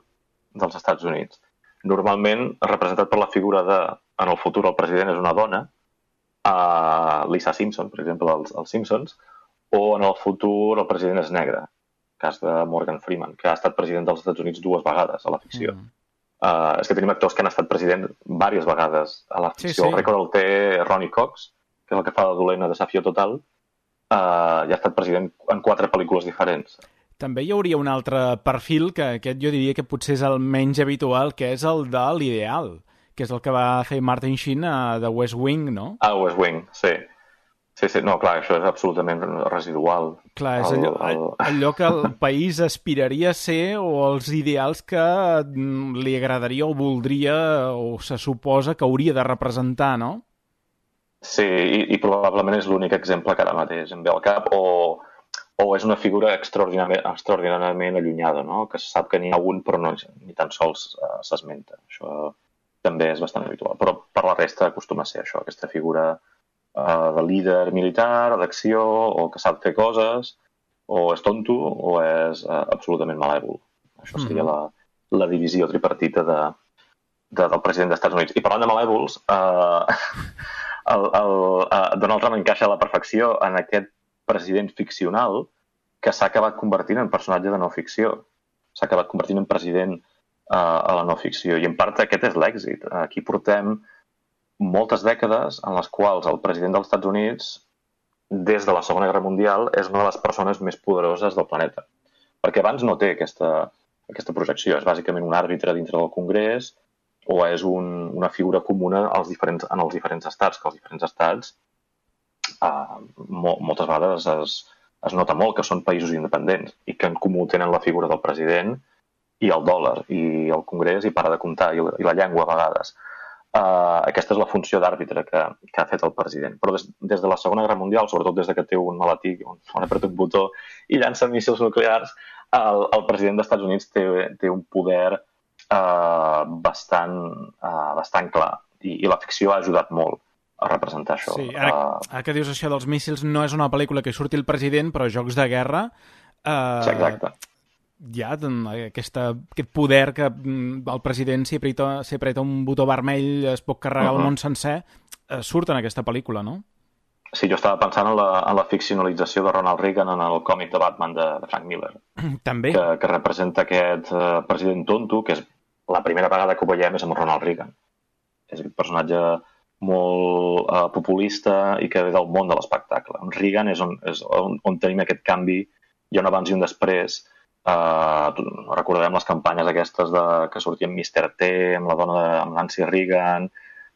dels Estats Units. Normalment, representat per la figura en el futur el president és una dona, Lisa Simpson, per exemple, als Simpsons, o en el futur el president és negre, cas de Morgan Freeman, que ha estat president dels Estats Units 2 vegades a la ficció. És que tenim actors que han estat president diverses vegades a la ficció. Sí. El rècord el té Ronny Cox, que és el que fa de dolent a Desafío Total, i ha estat president en 4 pel·lícules diferents. També hi hauria un altre perfil, que aquest jo diria que potser és el menys habitual, que és el de l'ideal, que és el que va fer Martin Sheen a The West Wing, no? A West Wing, sí. Sí, no, clar, això és absolutament residual. Clar, és allò que el país aspiraria a ser, o els ideals que li agradaria o voldria, o se suposa que hauria de representar, no? Sí, i probablement és l'únic exemple que ara mateix em ve al cap, o és una figura extraordinàriament allunyada, no? Que se sap que n'hi ha un, però no, ni tan sols s'esmenta. Això també és bastant habitual. Però per la resta acostuma a ser això, aquesta figura de líder militar, d'acció, o que sap fer coses, o és tonto, o és absolutament malèvol. Això seria la divisió tripartita del president dels Estats Units. I parlant de malèvols, Donald Trump encaixa a la perfecció en aquest president ficcional que s'ha acabat convertint en personatge de no ficció. S'ha acabat convertint en president a la no ficció. I en part aquest és l'èxit. Aquí portem moltes dècades en les quals el president dels Estats Units, des de la Segona Guerra Mundial, és una de les persones més poderoses del planeta. Perquè abans no té aquesta projecció. És bàsicament un àrbitre dintre del Congrés, o és una figura comuna en els diferents estats, que els diferents estats moltes vegades es nota molt que són països independents i que en comú tenen la figura del president i el dòlar, i el Congrés, i para de comptar, i la llengua a vegades. Aquesta és la funció d'àrbitre que ha fet el president. Però des de la Segona Guerra Mundial, sobretot des que té un maletí on apreta un botó i llança míssils nuclears, el president dels Estats Units té un poder bastant clar. I la ficció ha ajudat molt a representar això. Sí, ara que dius això dels míssils, no és una pel·lícula que surti el president, però Jocs de Guerra... Sí, exacte. Hi ha aquest poder que el president, si apreta un botó vermell, es pot carregar el món sencer, surt en aquesta pel·lícula, no? Sí, jo estava pensant en la ficcionalització de Ronald Reagan en el còmic de Batman de Frank Miller. També. Que representa aquest president tonto, que és la primera vegada que ho veiem és amb Ronald Reagan. És aquest personatge molt populista i que ve del món de l'espectacle. Amb Reagan és on tenim aquest canvi, hi ha un abans i un després. Recordem les campanyes aquestes que sortien Mr. T amb la dona amb Nancy Reagan,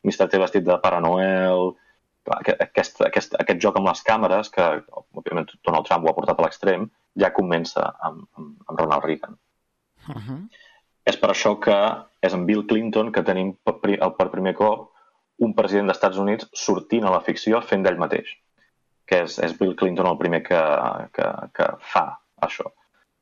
Mr. T vestit de Pare Noel. Aquest joc amb les càmeres, que òbviament Donald Trump ho ha portat a l'extrem, ja comença amb Ronald Reagan. És per això que és amb Bill Clinton que tenim per primer cop un president dels Estats Units sortint a la ficció fent d'ell mateix, que és Bill Clinton el primer que fa això.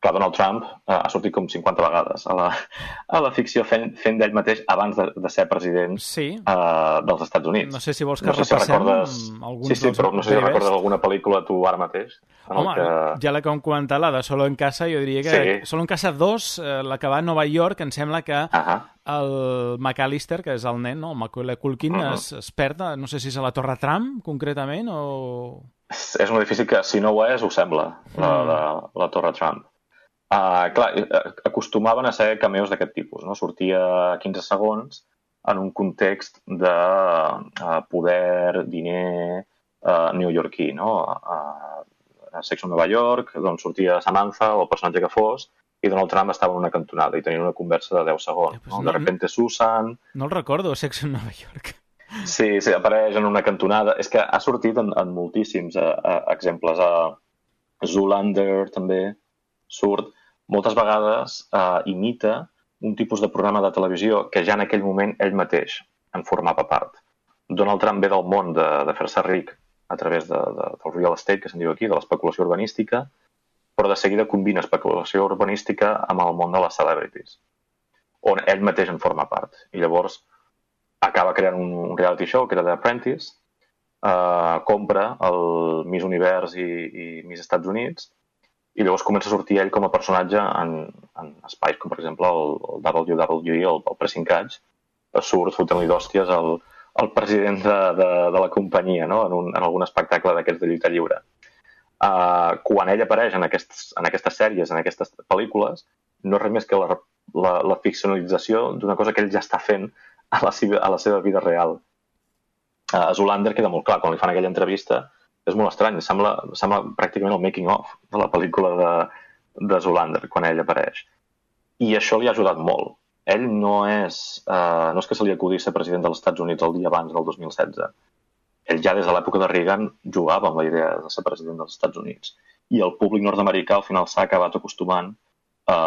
Clar, Donald Trump ha sortit com 50 vegades a la ficció fent d'ell mateix abans de ser president dels Estats Units. No sé si vols que repassem alguns dels... Sí, però no sé si recordes alguna pel·lícula tu ara mateix. Home, ja la que hem comentat, la de Solo en Casa, jo diria que Solo en Casa 2, la que va a Nova York, em sembla que el McAllister, que és el nen, no? El Macaulay Culkin, es perd, no sé si és a la Torre Trump, concretament, o... És un edifici que, si no ho és, ho sembla, la Torre Trump. Clar, acostumaven a ser cameos d'aquest tipus, no? Sortia 15 segons en un context de poder, diner neoyorquí, no? A Sex on Nova York, doncs sortia Samantha o el personatge que fos, i Donald Trump estava en una cantonada i tenia una conversa de 10 segons. No? De repente Susan... No el recordo, Sex on Nova York. Sí, apareix en una cantonada. És que ha sortit en moltíssims exemples. Zoolander també surt. Moltes vegades imita un tipus de programa de televisió que ja en aquell moment ell mateix en formava part. Donald Trump ve del món de fer-se ric a través del real estate, que se'n diu aquí, de l'especulació urbanística, però de seguida combina especulació urbanística amb el món de les celebrities, on ell mateix en forma part. I llavors acaba creant un reality show, que era The Apprentice, compra el Miss Univers i Miss Estats Units, i llavors comença a sortir ell com a personatge en espais com, per exemple, el WWE, el Pressing Catch, surt fotent-li d'hòsties al president de la companyia, no? En algun espectacle d'aquests de lluita lliure. Quan ell apareix en aquestes sèries, en aquestes pel·lícules, no és res més que la ficcionalització d'una cosa que ell ja està fent a la seva vida real. A Zoolander queda molt clar, quan li fan aquella entrevista, és molt estrany, sembla pràcticament el making-of de la pel·lícula de Zoolander, quan ell apareix. I això li ha ajudat molt. Ell no és que se li acudís ser president dels Estats Units el dia abans del 2016. Ell ja des de l'època de Reagan jugava amb la idea de ser president dels Estats Units. I el públic nord-americà al final s'ha acabat acostumant a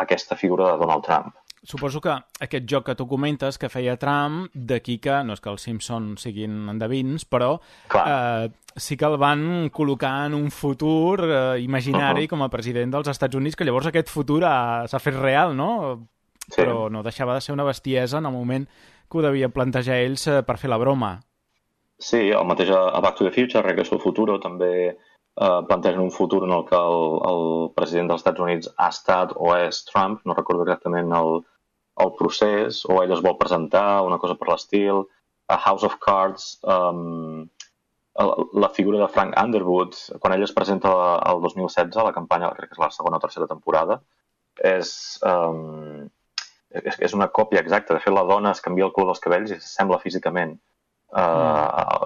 aquesta figura de Donald Trump. Suposo que aquest joc que tu comentes que feia Trump, d'aquí que, no és que els Simpsons siguin endevins, però sí que el van col·locar en un futur imaginari com a president dels Estats Units, que llavors aquest futur s'ha fet real, no? Sí. Però no deixava de ser una bestiesa en el moment que ho devien plantejar ells per fer la broma. Sí, el mateix a Back to the Future, Regreso al Futuro, també plantegen un futur en el que el president dels Estats Units ha estat o és Trump, no recordo exactament el procés, o ell es vol presentar, una cosa per l'estil. A House of Cards, la figura de Frank Underwood, quan ell es presenta el 2016, a la campanya, crec que és la segona o tercera temporada, és una còpia exacta. De fet, la dona es canvia el color dels cabells i s'assembla físicament,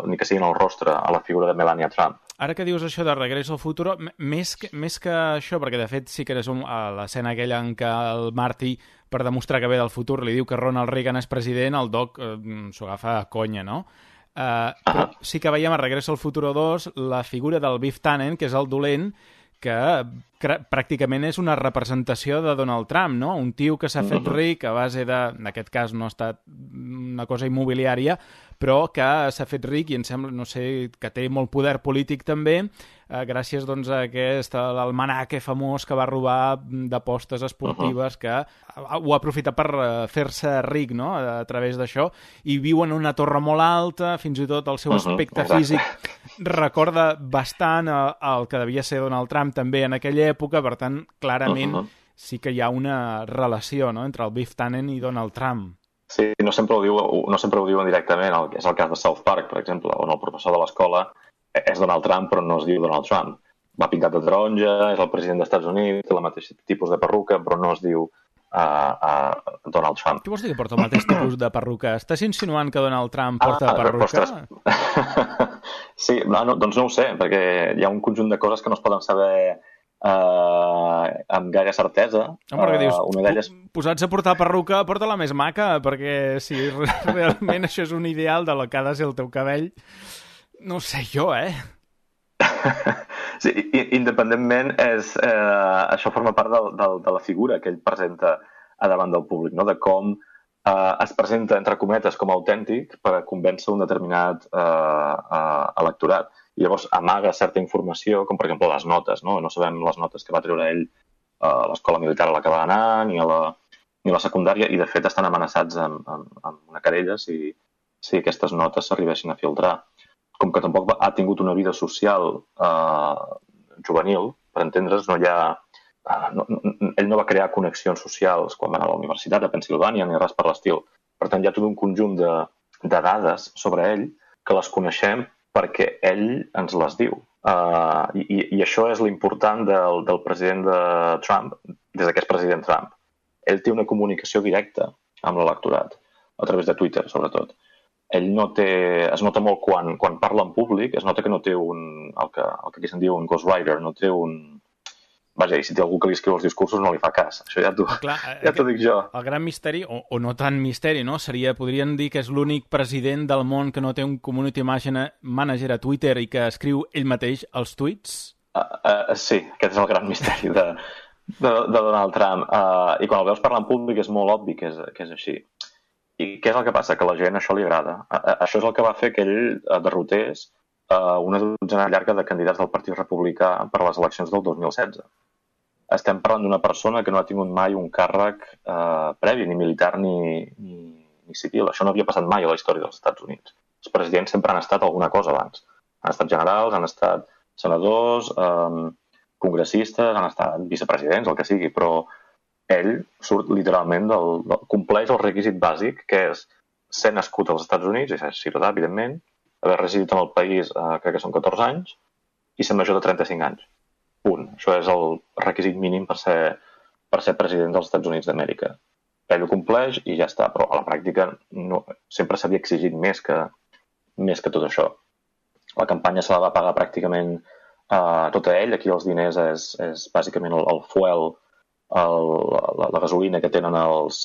ni que sigui en el rostre, a la figura de Melania Trump. Ara que dius això de Regreso al Futuro, més que això, perquè de fet sí que és l'escena aquella en què el Marty, per demostrar que ve del futur, li diu que Ronald Reagan és president, el Doc s'ho agafa a conya, no? Però sí que veiem a Regreso al Futuro 2 la figura del Biff Tannen, que és el dolent, que pràcticament és una representació de Donald Trump, no? Un tio que s'ha fet ric a base de, en aquest cas no ha estat una cosa immobiliària, però que s'ha fet ric i em sembla, no sé, que té molt poder polític també, gràcies doncs a aquest almanaque famós que va robar d'apostes esportives, que ho ha aprofitat per fer-se ric, no?, a través d'això, i viu en una torre molt alta, fins i tot el seu aspecte físic recorda bastant el que devia ser Donald Trump també en aquella època, per tant, clarament sí que hi ha una relació, no?, entre el Biff Tannen i Donald Trump. Sí, no sempre ho diuen directament, és el cas de South Park, per exemple, on el professor de l'escola és Donald Trump, però no es diu Donald Trump. Va pintat de taronja, és el president dels Estats Units, té el mateix tipus de perruca, però no es diu Donald Trump. Què vols dir que porta el mateix tipus de perruca? Estàs insinuant que Donald Trump porta perruca? Sí, doncs no ho sé, perquè hi ha un conjunt de coses que no es poden saber amb gaire certesa. Perquè dius, posats a portar perruca, porta-la més maca, perquè si realment això és un ideal de lo que ha de ser el teu cabell, no sé jo, Sí, independentment, això forma part de la figura que ell presenta a davant del públic, no? De com es presenta, entre cometes, com a autèntic per a convèncer un determinat electorat. I llavors amaga certa informació, com per exemple les notes, no? No sabem les notes que va treure ell a l'escola militar a la que va anar, ni a la secundària, i de fet estan amenaçats amb una querella si aquestes notes s'arribessin a filtrar. Com que tampoc ha tingut una vida social juvenil, per entendre's, ell no va crear connexions socials quan va anar a la universitat a Pennsilvània ni res per l'estil. Per tant, hi ha tot un conjunt de dades sobre ell que les coneixem perquè ell ens les diu. I això és l'important del president de Trump, des que és president Trump. Ell té una comunicació directa amb l'electorat, a través de Twitter, sobretot. Ell es nota molt quan parla en públic, es nota que no té el que aquí se'n diu un ghostwriter, no té un... Vaja, i si té algú que li escriu els discursos no li fa cas. Això ja t'ho dic jo. El gran misteri, o no tant misteri, no? Podrien dir que és l'únic president del món que no té un community manager a Twitter i que escriu ell mateix els tuits? Sí, aquest és el gran misteri de Donald Trump. I quan el veus parlar en públic és molt obvi que és així. I què és el que passa? Que a la gent això li agrada. Això és el que va fer que ell derrotés una dotzena llarga de candidats del Partit Republicà per a les eleccions del 2016. Estem parlant d'una persona que no ha tingut mai un càrrec previ, ni militar ni civil. Això no havia passat mai a la història dels Estats Units. Els presidents sempre han estat alguna cosa abans. Han estat generals, han estat senadors, congressistes, han estat vicepresidents, el que sigui, però ell surt literalment compleix el requisit bàsic, que és ser nascut als Estats Units, i ser ciutadà, evidentment, haver residit en el país, crec que són 14 anys, i ser major de 35 anys. Punt. Això és el requisit mínim per ser president dels Estats Units d'Amèrica. Ell ho compleix i ja està, però a la pràctica sempre s'havia exigit més que tot això. La campanya se la va pagar pràcticament tota ell. Aquí els diners és bàsicament el fuel, la gasolina que tenen els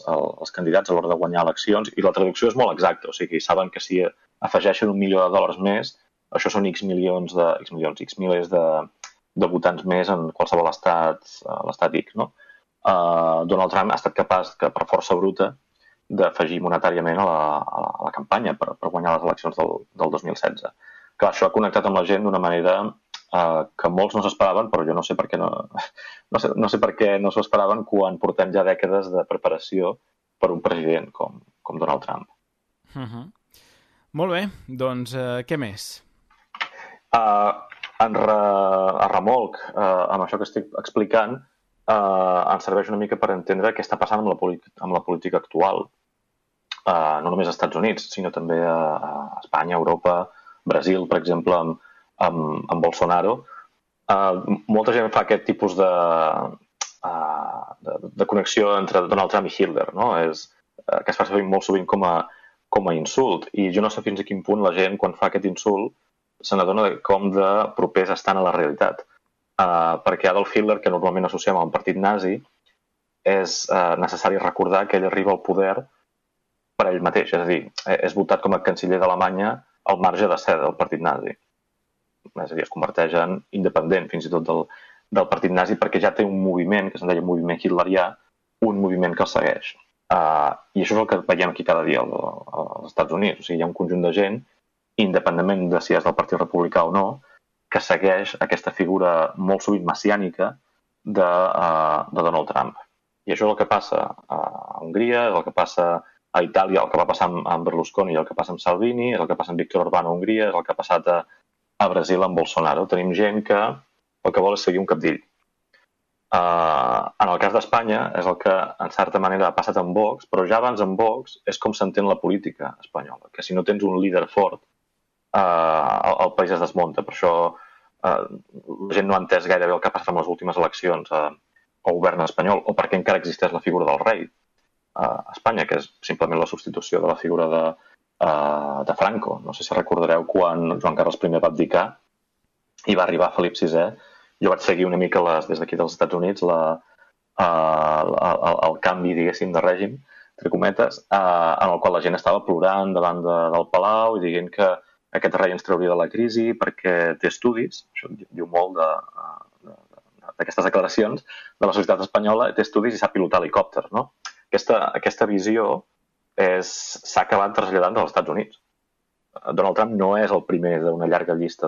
candidats a l'hora de guanyar eleccions, i la traducció és molt exacta. O sigui, saben que si afegeixen $1 milió més, això són X milers de votants més en qualsevol l'estat X, no? Donald Trump ha estat capaç, per força bruta, d'afegir monetàriament a la campanya per guanyar les eleccions del 2016. Clar, això ha connectat amb la gent d'una manera que molts no s'esperaven, però jo no sé per què no sé per què no s'ho esperaven quan portem ja dècades de preparació per un president com Donald Trump. Molt bé, doncs què més? A remolc amb això que estic explicant, ens serveix una mica per entendre què està passant amb la política actual. No només als Estats Units, sinó també a Espanya, Europa, Brasil, per exemple, amb Bolsonaro. Molta gent fa aquest tipus de connexió entre Donald Trump i Hitler, no? Que es fa servir molt sovint com a insult. I jo no sé fins a quin punt la gent, quan fa aquest insult, se n'adona de com de propers estan a la realitat. Perquè Adolf Hitler, que normalment associem a un partit nazi, és necessari recordar que ell arriba al poder per ell mateix. És a dir, és votat com a canciller d'Alemanya al marge de ser del partit nazi. És a dir, es converteix en independent fins i tot del partit nazi perquè ja té un moviment, que se'n deia moviment hitlerià, un moviment que el segueix. I això és el que veiem aquí cada dia als Estats Units. O sigui, hi ha un conjunt de gent, independentment de si és del Partit Republicà o no, que segueix aquesta figura molt sovint messiànica de Donald Trump. I això és el que passa a Hongria, és el que passa a Itàlia, el que va passar amb Berlusconi i el que passa amb Salvini, és el que passa amb Viktor Orbán a Hongria, és el que ha passat a Brasil amb Bolsonaro. Tenim gent que el que vol és seguir un capdill. En el cas d'Espanya és el que en certa manera ha passat amb Vox, però ja abans amb Vox és com s'entén la política espanyola, que si no tens un líder fort el país es desmunta. Per això la gent no ha entès gaire bé el que ha passat amb les últimes eleccions o govern espanyol, o per què encara existeix la figura del rei a Espanya, que és simplement la substitució de la figura de Franco. No sé si recordareu quan Joan Carles I va abdicar i va arribar Felip VI. Jo vaig seguir una mica des d'aquí dels Estats Units el canvi, diguéssim, de règim, entre cometes, en el qual la gent estava plorant davant del Palau i dient que aquest rei ens trauria de la crisi perquè té estudis, això diu molt d'aquestes declaracions, de la societat espanyola, té estudis i sap pilotar helicòpters, no? Aquesta visió s'ha acabat traslladant als Estats Units. Donald Trump no és el primer d'una llarga llista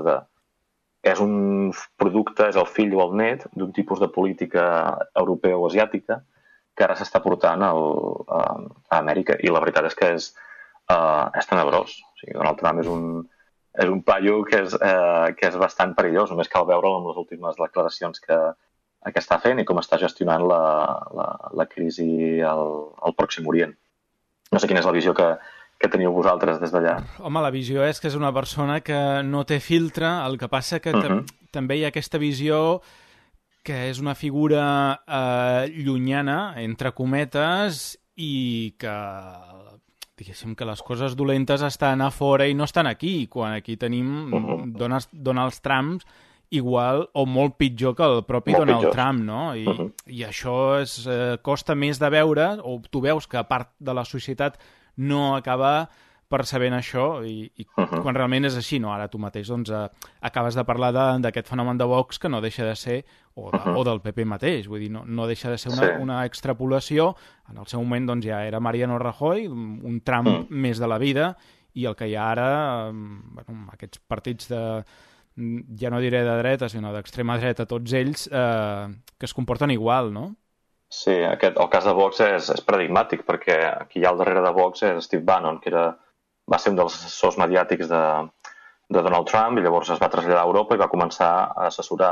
és un producte, és el fill o el net d'un tipus de política europea o asiàtica que ara s'està portant a Amèrica, i la veritat és que és tenebrós. O sigui, Donald Trump és un paio que és bastant perillós. Només cal veure'l amb les últimes declaracions que està fent i com està gestionant la crisi al Pròxim Orient. No sé quina és la visió que teniu vosaltres des d'allà. Home, la visió és que és una persona que no té filtre, el que passa que també hi ha aquesta visió que és una figura llunyana, entre cometes, i que, diguéssim, que les coses dolentes estan a fora i no estan aquí, quan aquí tenim Donald Trump igual o molt pitjor que el propi Donald Trump, no? I això costa més de veure, o tu veus que part de la societat no acaba percebent això, i quan realment és així, no? Ara tu mateix acabes de parlar d'aquest fenomen de Vox que no deixa de ser, o del PP mateix, vull dir, no deixa de ser una extrapolació. En el seu moment ja era Mariano Rajoy, un Trump més de la vida, i el que hi ha ara, aquests partits ja no diré de dreta, sinó d'extrema dreta, tots ells, que es comporten igual, no? Sí, el cas de Vox és paradigmàtic, perquè qui hi ha al darrere de Vox és Steve Bannon, que va ser un dels assessors mediàtics de Donald Trump, i llavors es va traslladar a Europa i va començar a assessorar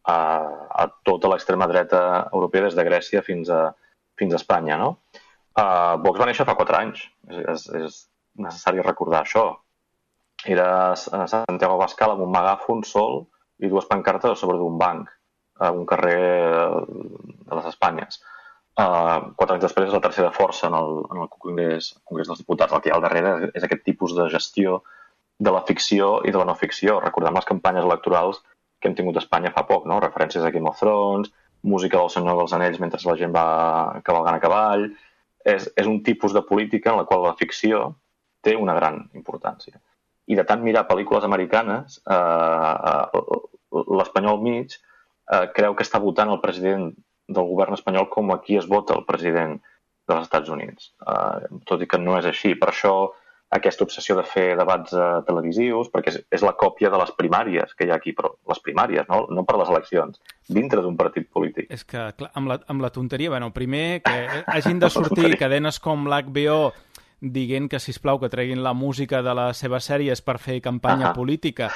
a tota l'extrema dreta europea, des de Grècia fins a Espanya, no? Vox va néixer fa 4 anys, és necessari recordar això. Era Santiago Abascal amb un megàfon sol i 2 pancartes a sobre d'un banc a un carrer de les Espanyes. 4 anys després és la tercera força en el Congrés dels Diputats. El que hi ha al darrere és aquest tipus de gestió de la ficció i de la no ficció. Recordem les campanyes electorals que hem tingut a Espanya fa poc, no? Referències a Game of Thrones, música del Senyor dels Anells mentre la gent va cavalgant a cavall. És un tipus de política en la qual la ficció té una gran importància. I de tant mirar pel·lícules americanes, l'espanyol mig creu que està votant el president del govern espanyol com aquí es vota el president dels Estats Units. Tot i que no és així. Per això aquesta obsessió de fer debats televisius, perquè és la còpia de les primàries que hi ha aquí, però les primàries, no per les eleccions, dintre d'un partit polític. És que, clar, amb la tonteria, primer que hagin de sortir cadenes com l'HBO dient que, sisplau, que treguin la música de les seves sèries per fer campanya política,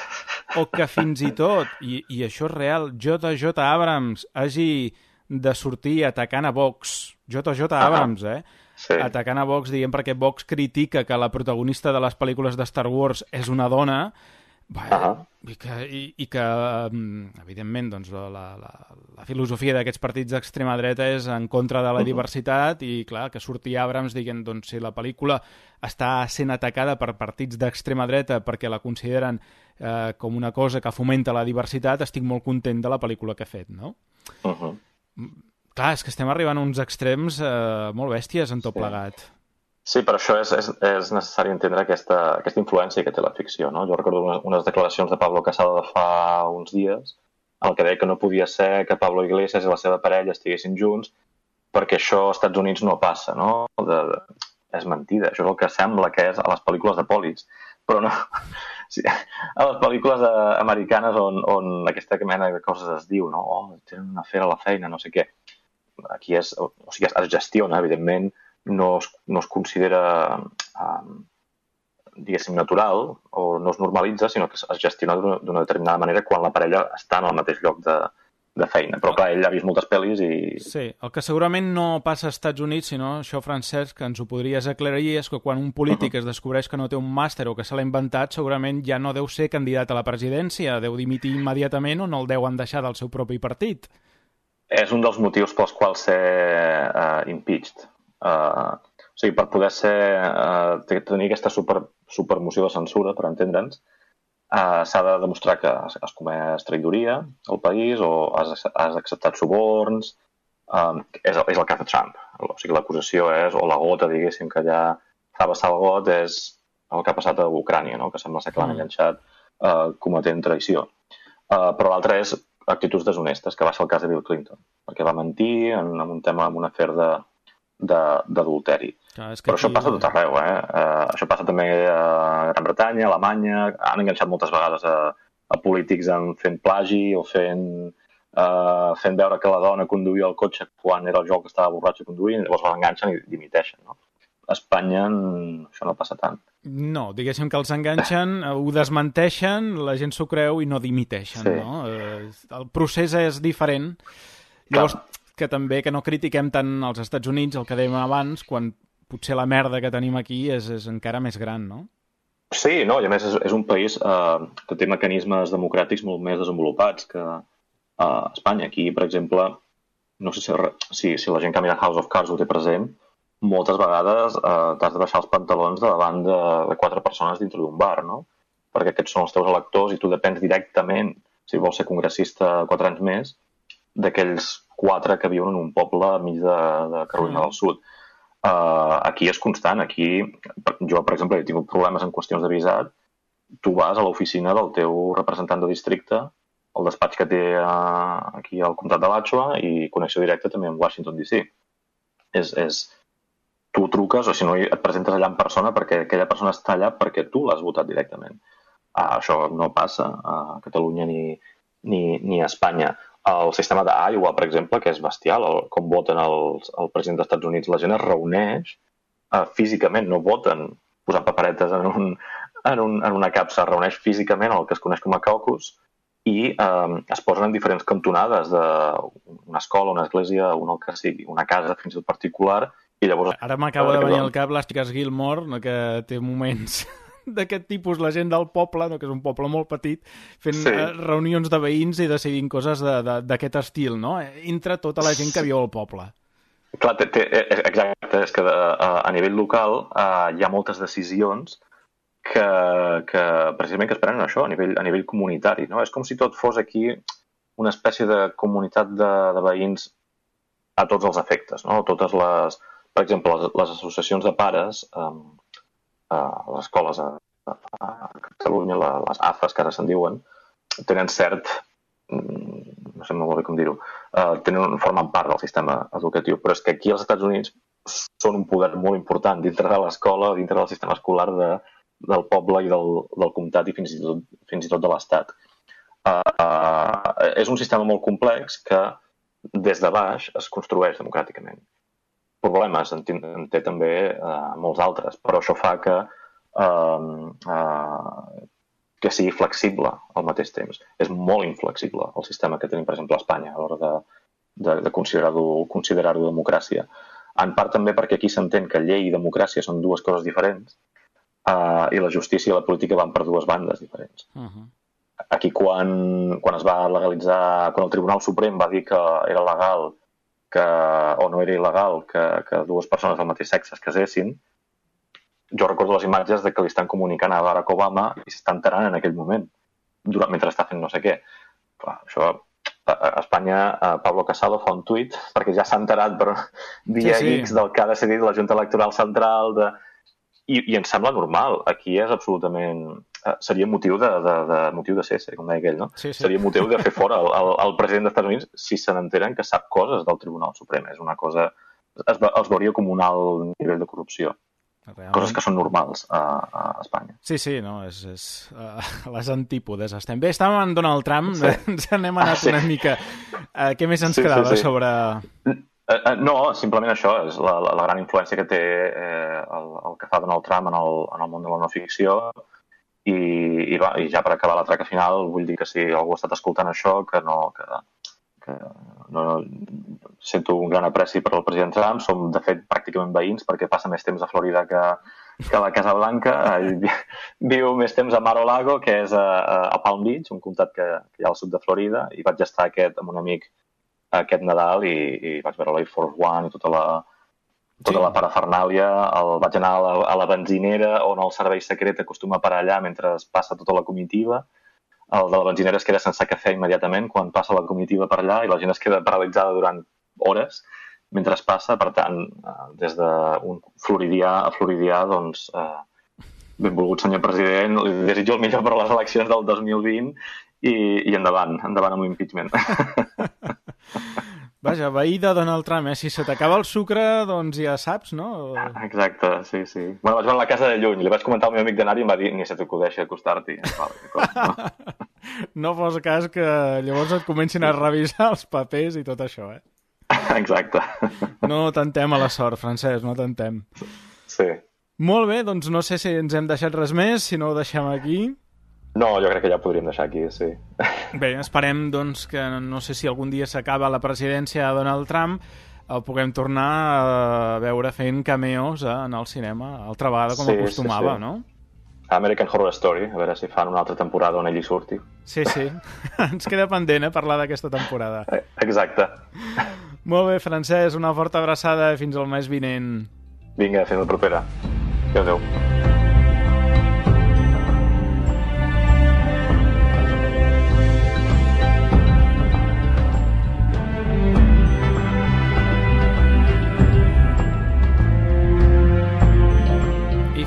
o que fins i tot, i això és real, J.J. Abrams hagi de sortir atacant a Vox. J.J. Abrams, Sí. Atacant a Vox, dient perquè Vox critica que la protagonista de les pel·lícules de Star Wars és una dona, i que evidentment, doncs, la filosofia d'aquests partits d'extrema dreta és en contra de la diversitat, i clar, que surti Abrams dient, doncs, si la pel·lícula està sent atacada per partits d'extrema dreta perquè la consideren com una cosa que fomenta la diversitat, estic molt content de la pel·lícula que he fet, no? Clar, és que estem arribant a uns extrems molt bèsties en tot plegat. Sí, per això és necessari entendre aquesta influència que té la ficció, no? Jo recordo unes declaracions de Pablo Casado de fa uns dies, en el que deia que no podia ser que Pablo Iglesias i la seva parella estiguessin junts perquè això als Estats Units no passa, no? És mentida, això és el que sembla que és a les pel·lícules de polis, però no. Sí, a les pel·lícules americanes on aquesta mena de coses es diu, no? Tenen una afer a la feina, no sé què. Aquí es gestiona, evidentment, no es considera, diguéssim, natural o no es normalitza, sinó que es gestiona d'una determinada manera quan la parella està en el mateix lloc de feina. Però clar, ell ha vist moltes pel·lis i... Sí, el que segurament no passa als Estats Units, sinó això, Francesc, que ens ho podries aclarir, és que quan un polític es descobreix que no té un màster o que se l'ha inventat, segurament ja no deu ser candidat a la presidència, deu dimitir immediatament o no el deuen deixar del seu propi partit. és un dels motius pels quals ser impeached. O sigui, per poder tenir aquesta supermoció de censura, per entendre'ns, s'ha de demostrar que has comès traïdoria al país o has acceptat suborns. És el cas de Trump. O sigui, l'acusació és, o la gota, diguéssim, que ja fa vessar el got, és el que ha passat a Ucrània, no? Que sembla ser que l'han enganxat cometent traïció. Però l'altre és actituds deshonestes, que va ser el cas de Bill Clinton, perquè va mentir en un tema, en un afer d'adulteri. Però això passa a tot arreu, això passa també a Gran Bretanya, a Alemanya, han enganxat moltes vegades a polítics fent plagi o fent veure que la dona conduïa el cotxe quan era el joc que estava borratxo conduint, llavors l'enganxen i dimiteixen, no? A Espanya això no passa tant. No, diguéssim que els enganxen, ho desmenteixen, la gent s'ho creu i no dimiteixen, sí. No? El procés és diferent. Llavors, que també que no critiquem tant als Estats Units, el que dèiem abans, quan potser la merda que tenim aquí és encara més gran, no? Sí, no, i a més és un país que té mecanismes democràtics molt més desenvolupats que Espanya. Aquí, per exemple, no sé si la gent que mira House of Cards ho té present, moltes vegades t'has de baixar els pantalons davant de 4 persones dintre d'un bar, no? Perquè aquests són els teus electors i tu depens directament, si vols ser congressista 4 anys més, d'aquells 4 que viuen en un poble enmig de Carolina del Sud. Aquí és constant. Aquí, jo, per exemple, he tingut problemes en qüestions de visat. Tu vas a l'oficina del teu representant de districte, el despatx que té aquí al comtat de Alachua i connexió directa també amb Washington, D.C. Tu truques o si no et presentes allà en persona perquè aquella persona està allà perquè tu l'has votat directament. Això no passa a Catalunya ni a Espanya. El sistema d'Iowa, per exemple, que és bestial, com voten el president dels Estats Units, la gent es reuneix físicament, no voten posant paperetes en una capsa, es reuneix físicament el que es coneix com a caucus i es posen en diferents cantonades d'una escola, una església, el que sigui, una casa fins i tot particular, i llavors... Ara m'acaba de venir al cap l'Àstiques Gilmore, que té moments d'aquest tipus, la gent del poble, que és un poble molt petit, fent reunions de veïns i decidint coses d'aquest estil, no? Entre tota la gent que viu al poble. Clar, exacte, és que a nivell local hi ha moltes decisions que precisament que es prenen això, a nivell comunitari, no? És com si tot fos aquí una espècie de comunitat de veïns a tots els efectes, no? Totes les... Per exemple, les associacions de pares, les escoles a Catalunya, les AFAs, que ara se'n diuen, tenen cert... no sé molt bé com dir-ho, formen part del sistema educatiu, però és que aquí als Estats Units són un poder molt important dintre de l'escola, dintre del sistema escolar del poble i del comtat i fins i tot de l'estat. És un sistema molt complex que des de baix es construeix democràticament. Problemes en té també molts altres, però això fa que sigui flexible al mateix temps. És molt inflexible el sistema que tenim, per exemple, a Espanya a l'hora de considerar-ho democràcia. En part també perquè aquí s'entén que llei i democràcia són dues coses diferents i la justícia i la política van per dues bandes diferents. Aquí quan es va legalitzar, quan el Tribunal Suprem va dir que era legal o no era il·legal que dues persones del mateix sexe es casessin, jo recordo les imatges de que li estan comunicant a Barack Obama i s'està enterant en aquell moment, mentre està fent no sé què. Clar, això, a Espanya, Pablo Casado fa un tuit, perquè ja s'ha enterat per via X del que ha decidit la Junta Electoral Central, i ens sembla normal. Aquí és absolutament... Seria motiu de cese, com deia aquell, no? Sí. Seria motiu de fer fora el president dels Estats Units si se n'enteren que sap coses del Tribunal Suprem. És una cosa... Els veuria com un alt nivell de corrupció. Realment. Coses que són normals a Espanya. Sí, no, és les antípodes. Estem bé, estàvem en Donald Trump, ens n'hem anat una mica. Què més ens quedava sobre... No, simplement això, és la gran influència que té el que fa Donald Trump en el món de la no-ficció. I ja per acabar la traca final, vull dir que si algú ha estat escoltant això, que sento un gran apreci per al president Trump. Som, de fet, pràcticament veïns perquè passa més temps a Florida que a la Casa Blanca. Viu més temps a Mar-a-Lago, que és a Palm Beach, un comtat que hi ha al sud de Florida, i vaig estar amb un amic aquest Nadal i vaig veure l'Air Force One i tota la parafernàlia. Vaig anar a la benzinera on el servei secret acostuma a parar allà mentre passa tota la comitiva. El de la benzinera es queda sense cafè immediatament quan passa la comitiva per allà i la gent es queda paralitzada durant hores mentre es passa. Per tant, des d'un floridià a floridià, doncs, benvolgut senyor president, li desitjo el millor per a les eleccions del 2020 i endavant amb l'impeachment. Vaja, veí de Donald Trump, si se t'acaba el sucre, doncs ja saps, no? Exacte, sí. Bueno, vaig veure la casa de lluny, li vaig comentar al meu amic d'anar i em va dir ni se t'acudeixi acostar-t'hi. No fos cas que llavors et comencin a revisar els papers i tot això, Exacte. No tentem a la sort, Francesc, no tentem. Sí. Molt bé, doncs no sé si ens hem deixat res més, si no ho deixem aquí. No, jo crec que ja ho podríem deixar aquí, sí. Bé, esperem doncs, que no sé si algun dia s'acaba la presidència de Donald Trump, el puguem tornar a veure fent cameos en el cinema, altra vegada com acostumava, no? American Horror Story, a veure si fan una altra temporada on ell hi surti. Sí. Ens queda pendent, parlar d'aquesta temporada. Exacte. Molt bé, Francesc, una forta abraçada fins al mes vinent. Vinga, fins la propera. Adéu.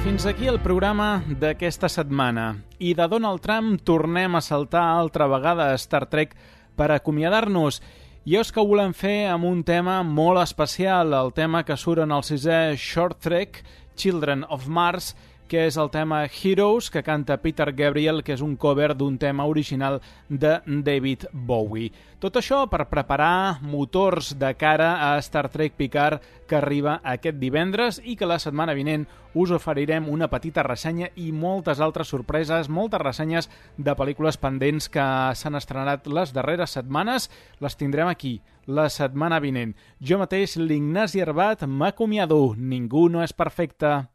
Fins aquí el programa d'aquesta setmana. I de Donald Trump tornem a saltar altra vegada a Star Trek per acomiadar-nos. I és que ho volem fer amb un tema molt especial, el tema que surt en el 6è Short Trek, Children of Mars, que és el tema Heroes, que canta Peter Gabriel, que és un cover d'un tema original de David Bowie. Tot això per preparar motors de cara a Star Trek Picard, que arriba aquest divendres i que la setmana vinent us oferirem una petita ressenya i moltes altres sorpreses, moltes ressenyes de pel·lícules pendents que s'han estrenat les darreres setmanes. Les tindrem aquí, la setmana vinent. Jo mateix, l'Ignasi Herbat, m'acomiado. Ningú no és perfecte.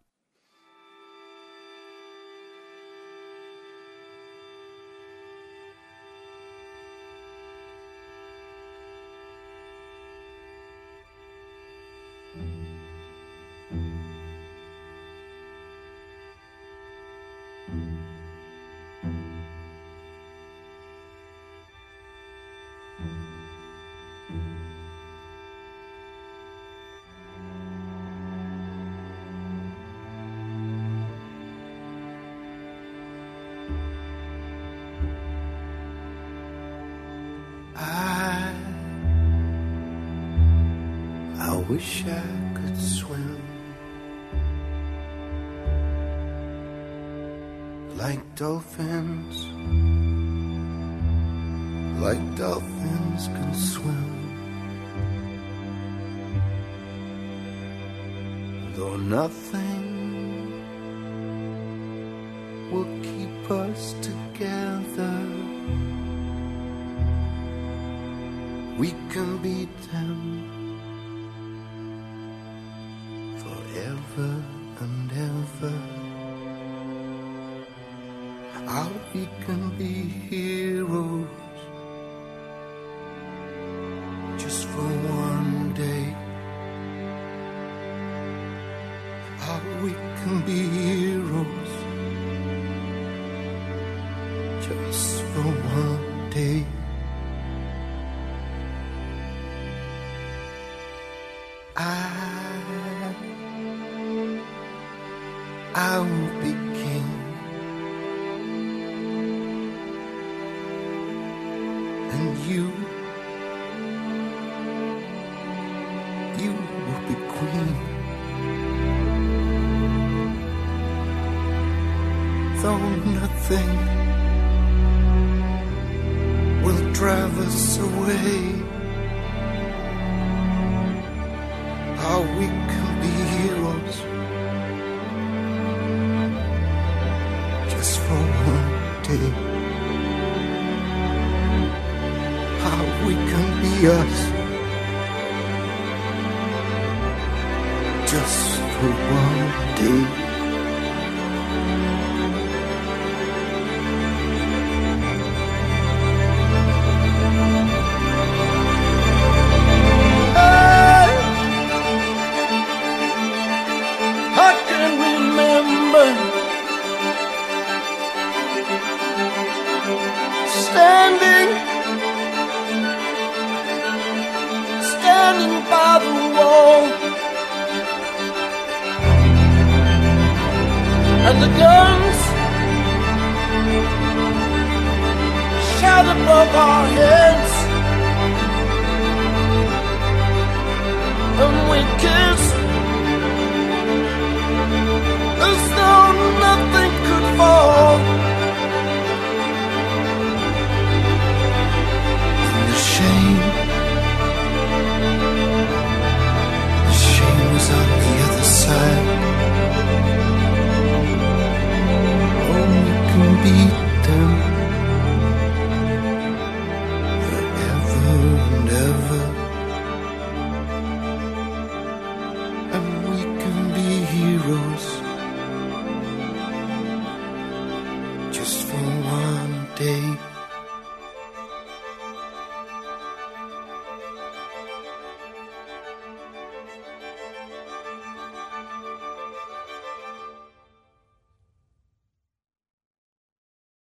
I wish I could swim like dolphins can swim. Though nothing will keep us together, we can beat them forever and ever. How we can be heroes just for one day. How we can be heroes just for one day. I will be king, and you will be queen. Though nothing will drive us away, how we can be heroes just for one day. How we can be us just for one day. and the guns shout above our heads, and we kiss as though nothing could fall. And the shame was on the other side. Oh, we can beat them forever and ever, and we can be heroes just for one day.